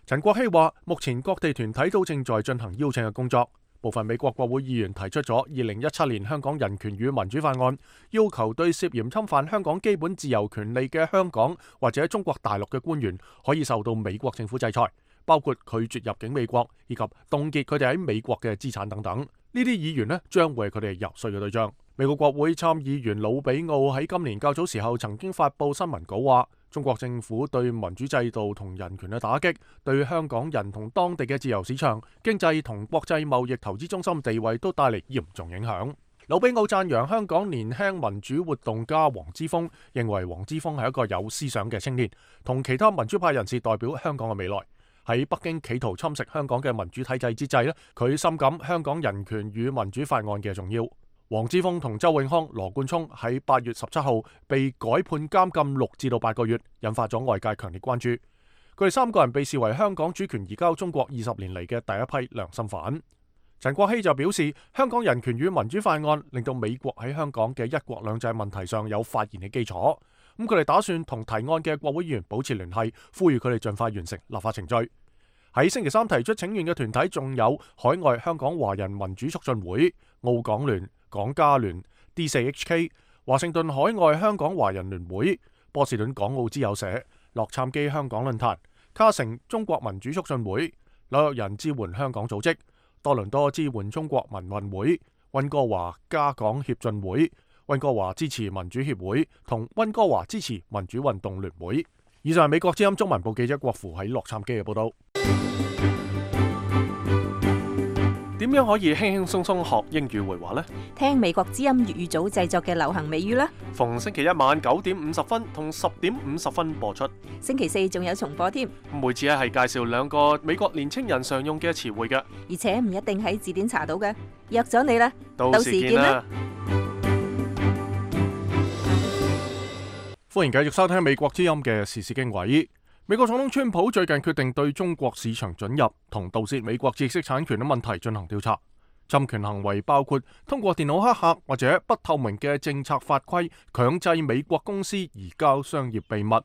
陳國希話，目前各地團體都正在進行邀請嘅工作。部分美國國會議員提出咗2017年香港人權與民主法案，要求對涉嫌侵犯香港基本自由權利嘅香港或者中國大陸嘅官員可以受到美國政府制裁，包括拒絕入境美國以及凍結佢哋喺美國嘅資產等等。呢啲議員呢將會係佢哋遊說嘅對象。美國國會參議員魯比奧喺今年較早時候曾經發布新聞稿話，中國政府對民主制度同人權嘅打擊，對香港人同當地嘅自由市場、經濟同國際貿易投資中心地位都帶嚟嚴重影響。魯比奧讚揚香港年輕民主活動家黃之鋒，認為黃之鋒係一個有思想嘅青年，同其他民主派人士代表香港嘅未來。喺北京企圖侵蝕香港嘅民主體制之際，佢深感香港人權與民主法案嘅重要。黃之鋒同周永康、羅冠聰喺8月17號被改判監禁6至8個月，引發咗外界強烈關注。佢哋3個人被視為香港主權移交中國20年嚟嘅第一批良心犯。陳國希就表示，香港人權與民主法案令到美國喺香港嘅一國兩制問題上有發言嘅基礎。咁佢哋打算同提案嘅國會議員保持聯繫，呼籲佢哋盡快完成立法程序。喺星期三提出請願嘅團體仲有海外香港華人民主促進會、澳港聯、港加聯、D4HK、華盛頓海外香港華人聯會、波士頓港澳之友社、洛杉磯香港論壇、卡城中國民主促進會、紐約人支援香港組織、多倫多支援中國民運會、溫哥華加港協進會、溫哥華支持民主協會同溫哥華支持民主運動聯會。以上係美國之音中文部記者郭符喺洛杉磯嘅報道。點樣可以輕輕鬆鬆學英語會話呢？聽美國之音粵語組製作嘅流行美語啦。逢星期一晚9點50分同10點50分播出。星期四仲有重播添。每次係介紹2個美國年青人常用嘅詞彙嘅，而且唔一定喺字典查到嘅。約咗你啦，到時見啦。歡迎繼續收聽美國之音嘅時事經緯。美國總統川普最近決定對中國市場准入同盜竊美國知識產權嘅問題進行調查。侵權行為包括通過電腦黑客或者不透明嘅政策法規強制美國公司移交商業秘密。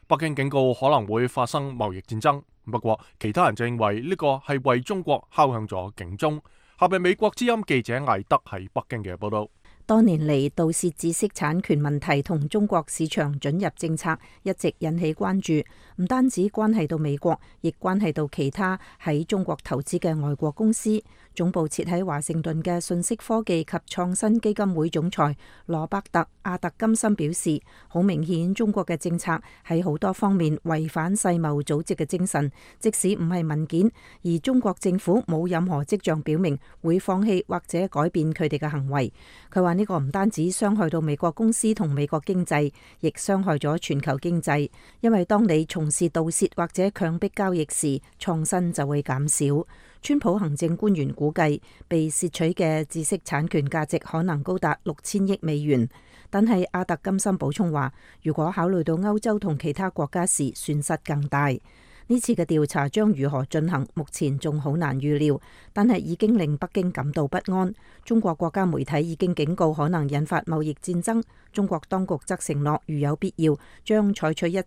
北京警告可能會發生貿易戰爭，不過其他人就認為呢個係為中國敲響咗警鐘。下邊美國之音記者艾德喺北京嘅報道。多年嚟，盜竊知識產權問題同中國市場准入政策一直引起關注，唔單止關係到美國，亦關係到其他喺中國投資嘅外國公司。總部設喺華盛頓嘅信息科技及創新基金會總裁羅伯特·阿特金森表示，好明顯中國嘅政策喺好多方面違反世貿組織嘅精神，即使唔係文件，而中國政府冇任何跡象表明會放棄或者改變佢哋嘅行為。佢話呢個唔單止傷害到美國公司同美國經濟，亦傷害咗全球經濟，因為當你從事盜竊或者強迫交易時，創新就會減少。川普行政官員估計，被竊取嘅知識產權價值可能高達6000億美元。但係阿特金森補充話，如果考慮到歐洲同其他國家時，損失更大。呢次嘅調查將如何進行，目前仲好難預料，但係已經令北京感到不安。中國國家媒體已經警告可能引發貿易戰爭，中國當局則承諾如有必要，將採取一切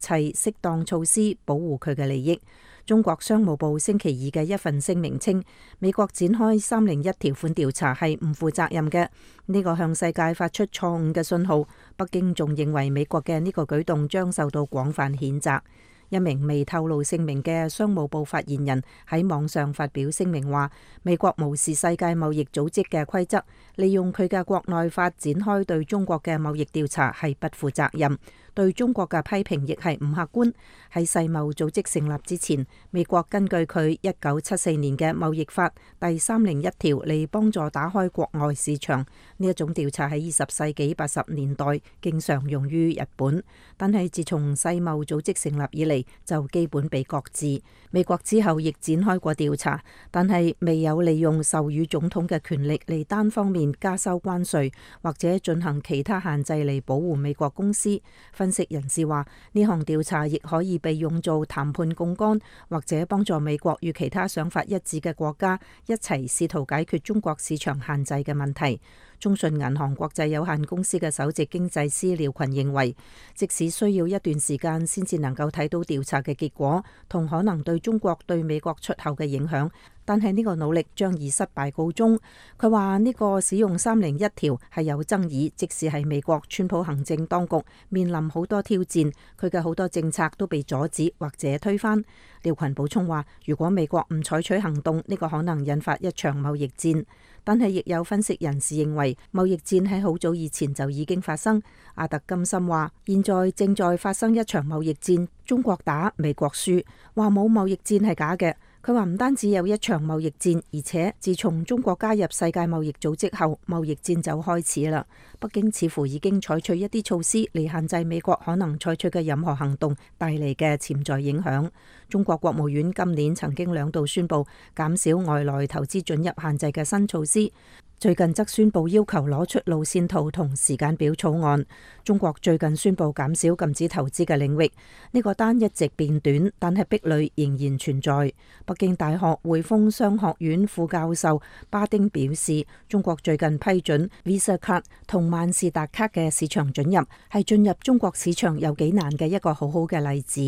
適當措施保護佢嘅利益。中國商務部星期二嘅一份聲明稱，美國展開301條款調查係唔負責任嘅，呢個向世界發出錯誤嘅信號。北京仲認為美國嘅呢個舉動將受到廣泛譴責。一名未透露姓名嘅商務部發言人喺網上發表聲明話，美國無視世界貿易組織嘅規則，利用佢嘅國內法展開對中國嘅貿易調查係不負責任，對中國嘅批評亦係唔客觀。喺世貿組織成立之前，美國根據佢1974年嘅貿易法第301條嚟幫助打開國外市場。呢一種調查喺20世紀80年代經常用於日本，但係自從世貿組織成立以嚟，就基本被擱置。美國之後亦展開過調查，但係未有利用授予總統嘅權力嚟單方面加收關稅或者進行其他限制嚟保護美國公司。分析人士話，呢項調查亦可以被用作談判槓桿，或者幫助美國與其他想法一致嘅國家一齊試圖解決中國市場限制嘅問題。中信銀行國際有限公司嘅首席經濟師廖群認為，即使需要一段時間先至能夠睇到調查嘅結果同可能對中國對美國出口嘅影響，但係呢個努力將以失敗告終。佢話呢個使用301條係有爭議，即使係美國川普行政當局面臨好多挑戰，佢嘅好多政策都被阻止或者推翻。廖群補充話，如果美國唔採取行動，呢個可能引發一場貿易戰。但係亦有分析人士認為，貿易戰喺好早以前就已經發生。阿特金森話，現在正在發生一場貿易戰，中國打，美國輸。話冇貿易戰係假嘅。佢話唔單止有一場貿易戰，而且自從中國加入世界貿易組織後，貿易戰就開始啦。北京似乎已經採取一啲措施嚟限制美國可能採取嘅任何行動帶嚟嘅潛在影響。中國國務院今年曾經2度宣布減少外來投資准入限制嘅新措施。最近則宣布要求攞出路線圖同時間表草案。中國最近宣布減少禁止投資嘅領域，呢個單一直變短，但係壁壘仍然存在。北京大學匯豐商學院副教授巴丁表示，中國最近批准 Visa 卡同萬事達卡嘅市場准入，係進入中國市場有幾難嘅一個好好嘅例子。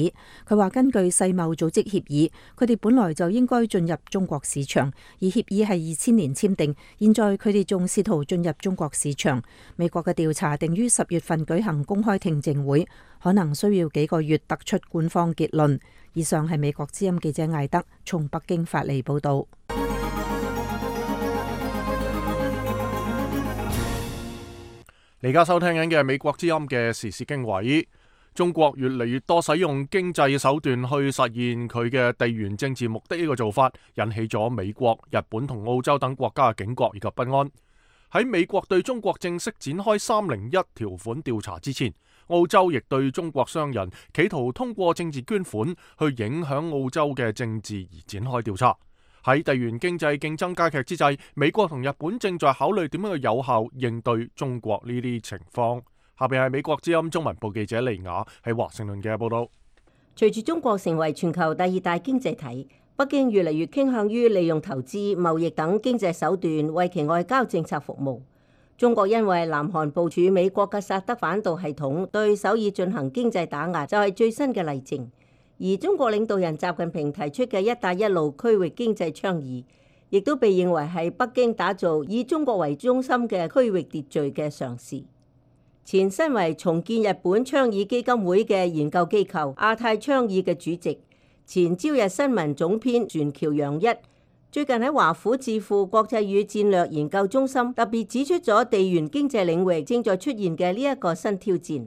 佢話根據世貿組織協議，佢哋本來就應該進入中國市場，而協議係2000年簽訂，現在佢哋仲試圖進入中國市場。美國嘅調查定於10月份舉行公開聽證會，可能需要幾個月得出官方結論。以上係美國之音記者艾德從北京發嚟報道。你而家收聽緊嘅係美國之音嘅時事經緯。中國越嚟越多使用經濟手段去實現佢嘅地緣政治目的，呢個做法引起咗美國、日本同澳洲等國家嘅警覺以及不安。喺美國對中國正式展開301條款調查之前，澳洲亦對中國商人企圖通過政治捐款去影響澳洲嘅政治而展開調查。喺地緣經濟競爭加劇之際，美國同日本正在考慮點樣去有效應對中國呢啲情況。下邊係美國之音中文部記者利雅喺華盛頓嘅報道。隨住中國成為全球第2大經濟體，北京越嚟越傾向於利用投資、貿易等經濟手段為其外交政策服務。中國因為南韓部署美國嘅薩德反導系統對首爾進行經濟打壓，就係最新嘅例證。而中國領導人習近平提出嘅一帶一路區域經濟倡議，亦都被認為係北京打造以中國為中心嘅區域秩序嘅嘗試。前身為重建日本倡議基金會嘅研究機構亞太倡議嘅主席、前朝日新聞總編船橋洋一，最近喺華府智庫國際與戰略研究中心特別指出咗地緣經濟領域正在出現嘅呢一個新挑戰。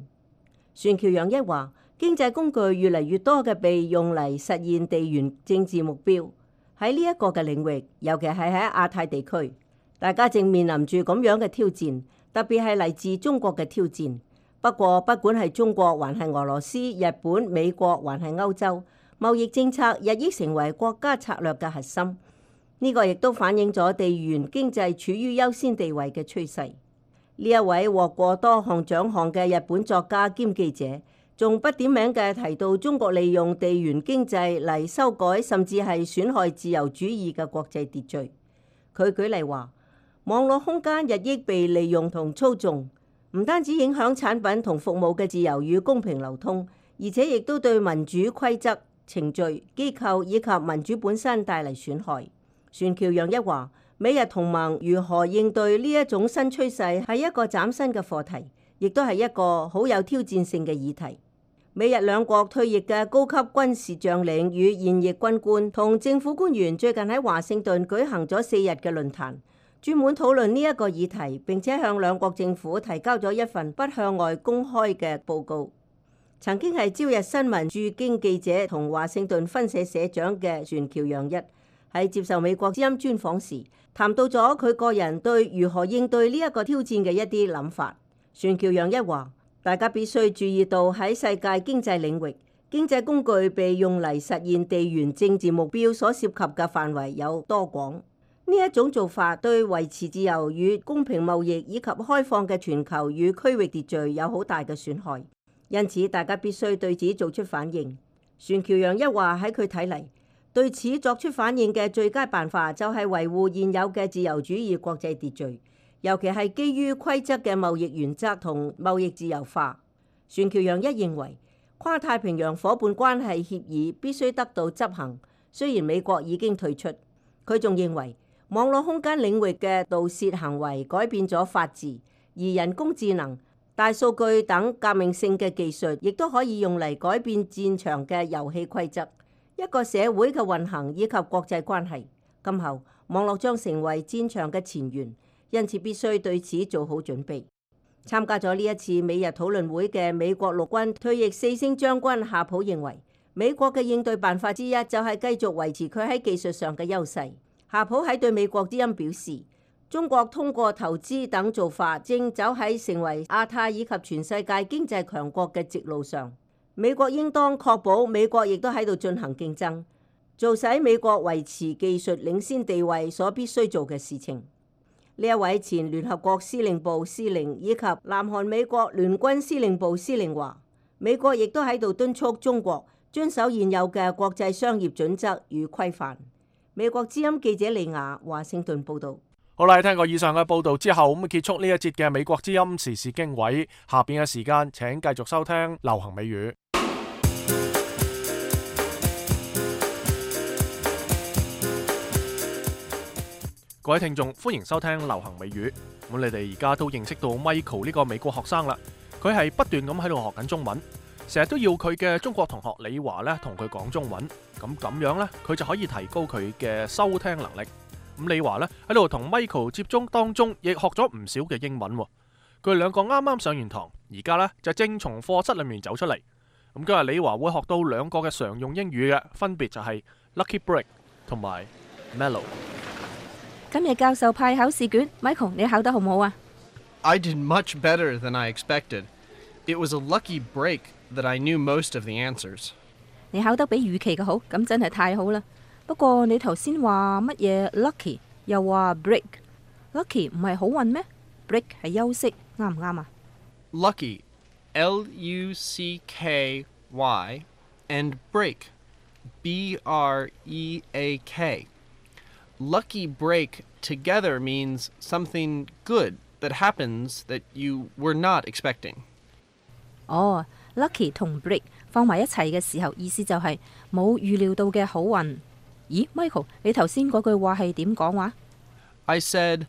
船橋洋一話，經濟工具越嚟越多嘅被用嚟實現地緣政治目標，喺呢一個嘅領域，尤其係喺亞太地區，大家正面臨住咁樣嘅挑戰。特別係嚟自中國嘅挑戰。不過，不管係中國，還係俄羅斯、日本、美國，還係歐洲，貿易政策日益成為國家策略嘅核心。呢個亦都反映咗地緣經濟處於優先地位嘅趨勢。呢一位獲過多項獎項嘅日本作家兼記者，仲不點名嘅提到中國利用地緣經濟嚟修改甚至係損害自由主義嘅國際秩序。佢舉例話，網絡空間日益被利用同操縱，唔單止影響產品同服務嘅自由與公平流通，而且亦都對民主規則、程序、機構以及民主本身帶嚟損害。船橋洋一話，美日同盟如何應對呢一種新趨勢係一個嶄新嘅課題，亦都係一個好有挑戰性嘅議題。美日兩國退役嘅高級軍事將領與現役軍官同政府官員最近喺華盛頓舉行咗4日嘅論壇，專門討論呢一個議題，並且向兩國政府提交咗一份不向外公開嘅報告。曾經係朝日新聞駐京記者同華盛頓分社社長嘅船橋洋一喺接受美國之音專訪時，談到咗佢個人對如何應對呢一個挑戰嘅一啲諗法。船橋洋一話，大家必須注意到喺世界經濟領域，經濟工具被用嚟實現地緣政治目標所涉及嘅範圍有多廣。呢一種做法對維持自由與公平貿易以及開放嘅全球與區域秩序有好大嘅損害，因此大家必須對此做出反應。船橋洋一話，喺佢睇嚟，對此作出反應嘅最佳辦法就係維護現有嘅自由主義國際秩序，尤其係基於規則嘅貿易原則同貿易自由化。船橋洋一認為，跨太平洋夥伴關係協議必須得到執行，雖然美國已經退出。佢仲認為網絡空間領域嘅盜竊行為改變咗法治，而人工智能、大數據等革命性嘅技術亦都可以用嚟改變戰場嘅遊戲規則、一個社會嘅運行以及國際關係。今後網絡將成為戰場嘅前沿，因此必須對此做好準備。參加咗呢一次美日討論會嘅美國陸軍退役4星將軍夏普認為，美國嘅應對辦法之一就係繼續維持佢喺技術上嘅優勢。夏普喺對美國之音表示，中國通過投資等做法，正走喺成為亞太以及全世界經濟強國嘅直路上。美國應當確保美國亦都喺度進行競爭，做使美國維持技術領先地位所必須做嘅事情。呢一位前聯合國司令部司令以及南韓美國聯軍司令部司令話，美國亦都喺度敦促中國遵守現有嘅國際商業準則與規範。美國之音記者李雅華盛頓報道。好啦，聽過以上嘅報道之後，咁結束呢一節嘅美國之音時事經緯。下邊嘅時間，請繼續收聽流行美語。各位聽眾，歡迎收聽流行美語。咁你哋而家都認識到 Michael 呢個美國學生啦，佢係不斷咁喺度學緊中文，成日都要佢嘅中國同學李華咧同佢講中文，咁樣咧佢就可以提高佢嘅收聽能力。咁李華咧喺度同 Michael 接觸當中，亦學咗唔少嘅英文。佢哋兩個啱啱上完堂，而家咧就正從課室裏面走出嚟。咁今日李華會學到兩個嘅常用英語嘅，分別就係 Lucky Break 同埋 Mellow。今日教授派考試卷 ，Michael 你考得好唔好啊 I did much better than I expected. It was a lucky break that I knew most of the answers. 你考得比預期嘅好，咁真係太好啦。不過你頭先話乜嘢 lucky， 又話 break。lucky 唔係好運咩 ？break 係休息，啱唔啱啊 Lucky, L-U-C-K-Y, and break, B-R-E-A-K. Lucky break together means something good that happens that you were not expecting. 哦 ，lucky 同 break 放埋一齊嘅時候，意思就係冇預料到嘅好運。咦 ，Michael， 你頭先嗰句話係點講話 I said,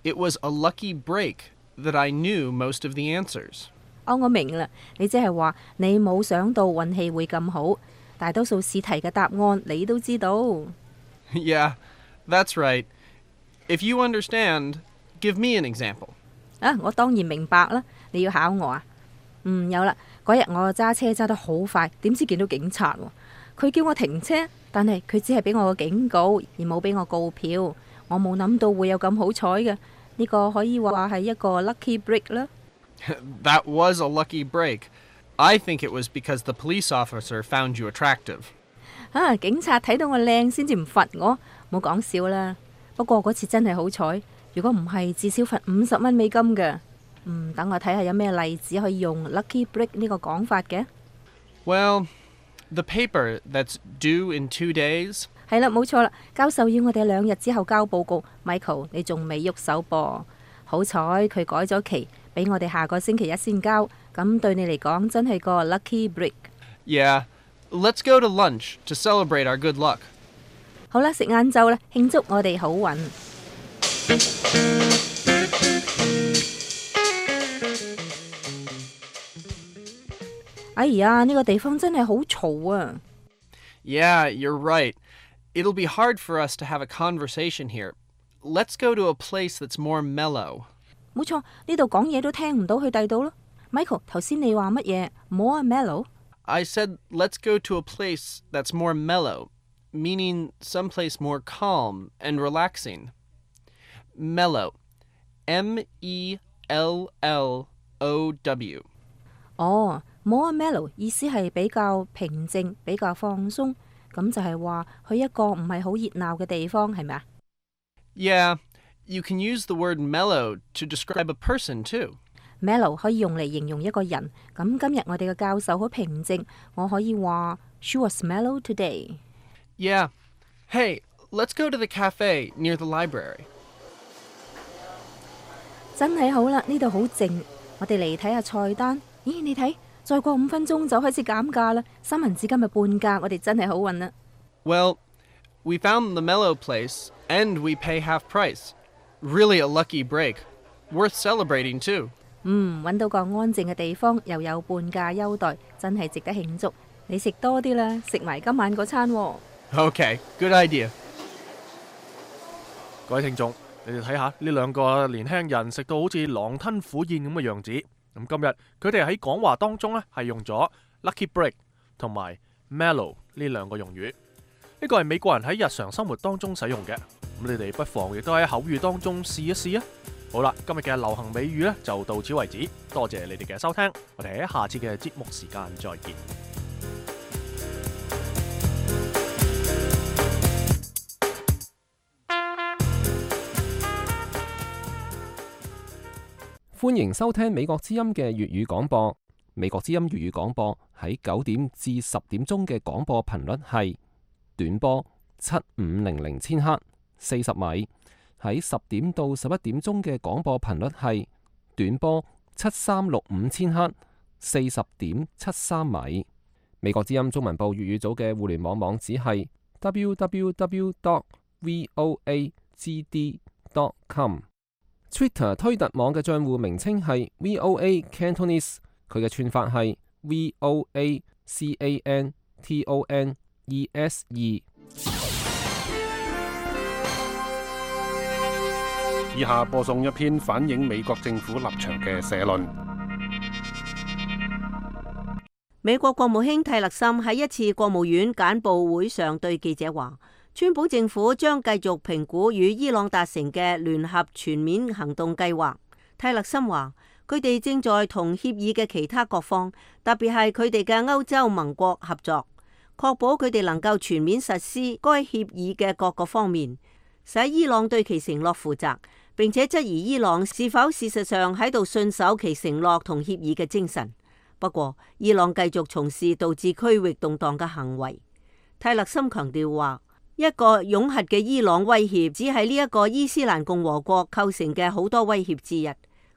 it was a lucky break that I knew most of the answers. 哦，我明啦，你即係話你冇想到運氣會咁好，大多數試題嘅答案你都知道。Yeah, that's right. If you understand, give me an example. 啊，我當然明白啦。你要考我啊？有啦。嗰日我揸車揸得好快，點知見到警察喎。佢叫我停車，但係佢只係俾我個警告，而冇俾我告票。我冇諗到會有咁好彩嘅，呢個可以話係一個 lucky break 啦。That was a lucky break. I think it was because the police officer found you attractive. 啊，警察睇到我靚先至唔罰我，冇講笑啦。不過嗰次真係好彩，如果唔係至少罰50蚊美金嘅。等我睇下有咩例子可以用 lucky break 呢個講法嘅。Well, the paper that's due in 2 days. 係啦，冇錯啦，教授要我哋2日之後交報告。Michael， 你仲未喐手噃？好彩佢改咗期，俾我哋下個星期一先交。咁對你嚟講真係個 lucky break。Yeah, let's go to lunch to celebrate our good luck. 好啦，食晏晝啦，慶祝我哋好運。哎呀，呢個地方真係好嘈啊！ Yeah, you're right. It'll be hard for us to have a conversation here. Let's go to a place that's more mellow. 冇錯，呢度講嘢都聽唔到去第度咯。Michael， 頭先你話乜嘢 ？More mellow？ I said let's go to a place that's more mellow, meaning someplace more calm and relaxing. Mellow, M-E-L-L-O-W. 哦，more mellow 意思係比較平靜、比較放鬆，咁就係話去一個唔係好熱鬧嘅地方，係咪啊 Yeah, you can use the word mellow to describe a person too. Mellow 可以用嚟形容一個人。咁今日我哋嘅教授好平靜，我可以話 She was mellow today. Yeah. Hey, let's go to the cafe near the library. 真係好啦，呢度好靜。我哋嚟睇下菜單。咦，你睇，再過5分鐘就開始減價啦。三文治今日半價，我哋真係好運啦。Well, We found the Mellow place, and we pay half price. Really a lucky break. Worth celebrating too. 揾到個安靜嘅地方，又有半價優待，真係值得慶祝。你食多啲啦，食埋今晚嗰餐喎。Okay, good idea. 各位聽眾，你哋睇下呢兩個年輕人食到好似狼吞虎咽咁嘅樣子。咁今日佢哋喺講話當中呢，係用咗 lucky break 同埋 mellow 呢兩個用語。呢個係美國人喺日常生活當中使用嘅。咁你哋不妨亦都喺口語當中試一試啊！好啦，今日嘅流行美語呢就到此為止，多謝你哋嘅收聽，我哋喺下次嘅節目時間再見。歡迎收聽美國之音嘅粵語廣播。美國之音粵語廣播喺9點至10點鐘嘅廣播頻率係短波7500千赫40米，喺10點到11點鐘嘅廣播頻率係短波7365千赫40.73米。美國之音中文部粵語組嘅互聯網網址係 www.voagd.com。Twitter 推特網嘅帳戶名稱係 VOA Cantonese， 佢嘅串法係 VOACANTONESE。以下播送一篇反映美國政府立場嘅社論。美國國務卿蒂勒森喺一次國務院簡報會上對記者話，川普政府將繼續評估與伊朗達成嘅聯合全面行動計劃。蒂勒森話，佢哋正在同協議嘅其他各方，特別係佢哋嘅歐洲盟國合作，確保佢哋能夠全面實施該協議嘅各個方面，使伊朗對其承諾負責，並且質疑伊朗是否事實上喺度信守其承諾同協議嘅精神。不過，伊朗繼續從事導致區域動盪嘅行為。蒂勒森強調話，一個擁核嘅伊朗威脅只係呢一個伊斯蘭共和國構成嘅好多威脅之一。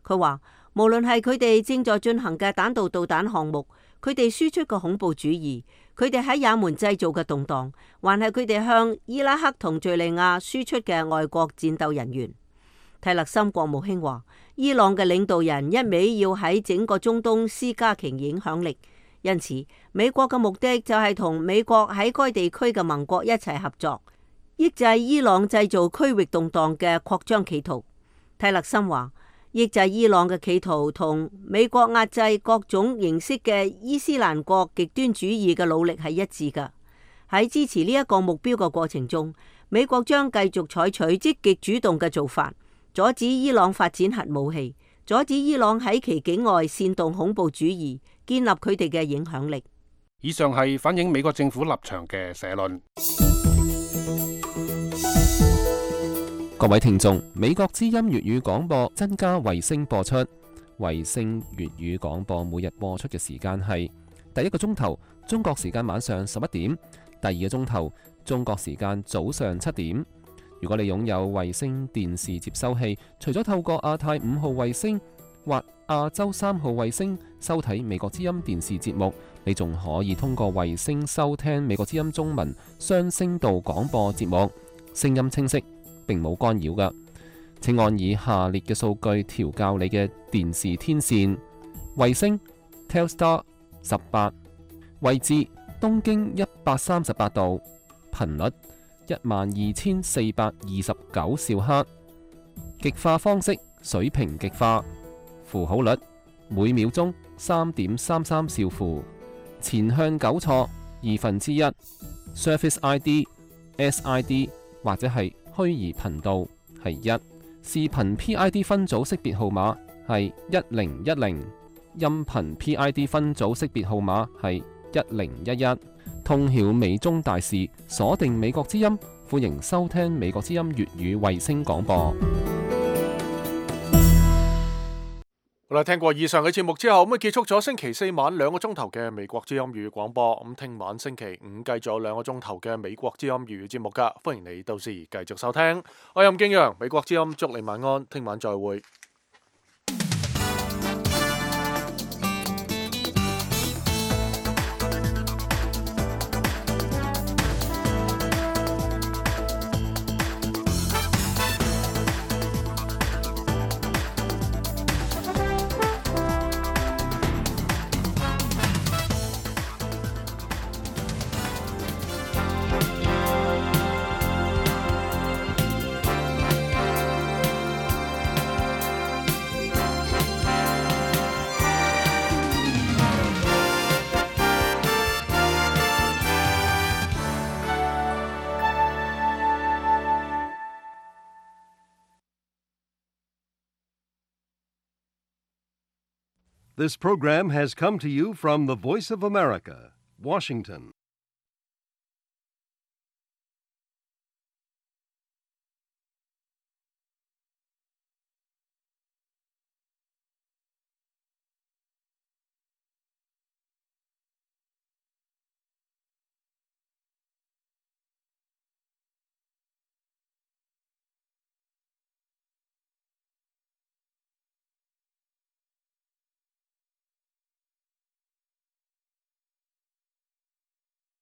佢話，無論係佢哋正在進行嘅彈道導彈項目，佢哋輸出嘅恐怖主義，佢哋喺也門製造嘅動盪，還係佢哋向伊拉克同敘利亞輸出嘅外國戰鬥人員。蒂勒森國務卿話，伊朗嘅領導人一味要喺整個中東施加其影響力，因此美國嘅目的就係同美國喺該地區嘅盟國一齊合作，抑制伊朗製造區域動盪嘅擴張企圖。蒂勒森話，抑制伊朗嘅企圖同美國壓制各種形式嘅伊斯蘭國極端主義嘅努力係一致㗎。喺支持呢一個目標嘅過程中，美國將繼續採取積極主動嘅做法，阻止伊朗發展核武器，阻止伊朗喺其境外煽動恐怖主義，建立佢哋嘅影響力。以上係反映美國政府立場嘅社論。各位聽眾，美國之音粵語廣播增加衛星播出，衛星粵語廣播每日播出嘅時間係第一個鐘頭中國時間晚上11點，第二個鐘頭中國時間早上7點。如果你擁有衛星電視接收器，除咗透過亞太5號衛星或亞洲3號衛星收睇美國之音電視節目，你仲可以通過衛星收聽美國之音中文雙聲道廣播節目，聲音清晰，並冇干擾㗎。請按以下列嘅數據調校你嘅電視天線：衛星 Telstar 18，位置東經138度，頻率12429兆赫，極化方式水平極化，符號率每秒鐘3.33兆符，前向糾錯1/2， Surface ID SID 或者係虛擬頻道係1，視頻 PID 分組識別號碼係1010，音頻 PID 分組識別號碼係1011。通曉美中大事，鎖定美國之音，歡迎收聽美國之音粵語衛星廣播。好啦，聽過以上嘅節目之後，咁結束咗星期4晚2個鐘頭嘅美國之音粵語廣播。咁聽晚星期5繼續2個鐘頭嘅美國之音粵語節目噶，歡迎你到時繼續收聽。我係任敬陽，美國之音祝你晚安，聽晚再會。This program has come to you from the Voice of America, Washington.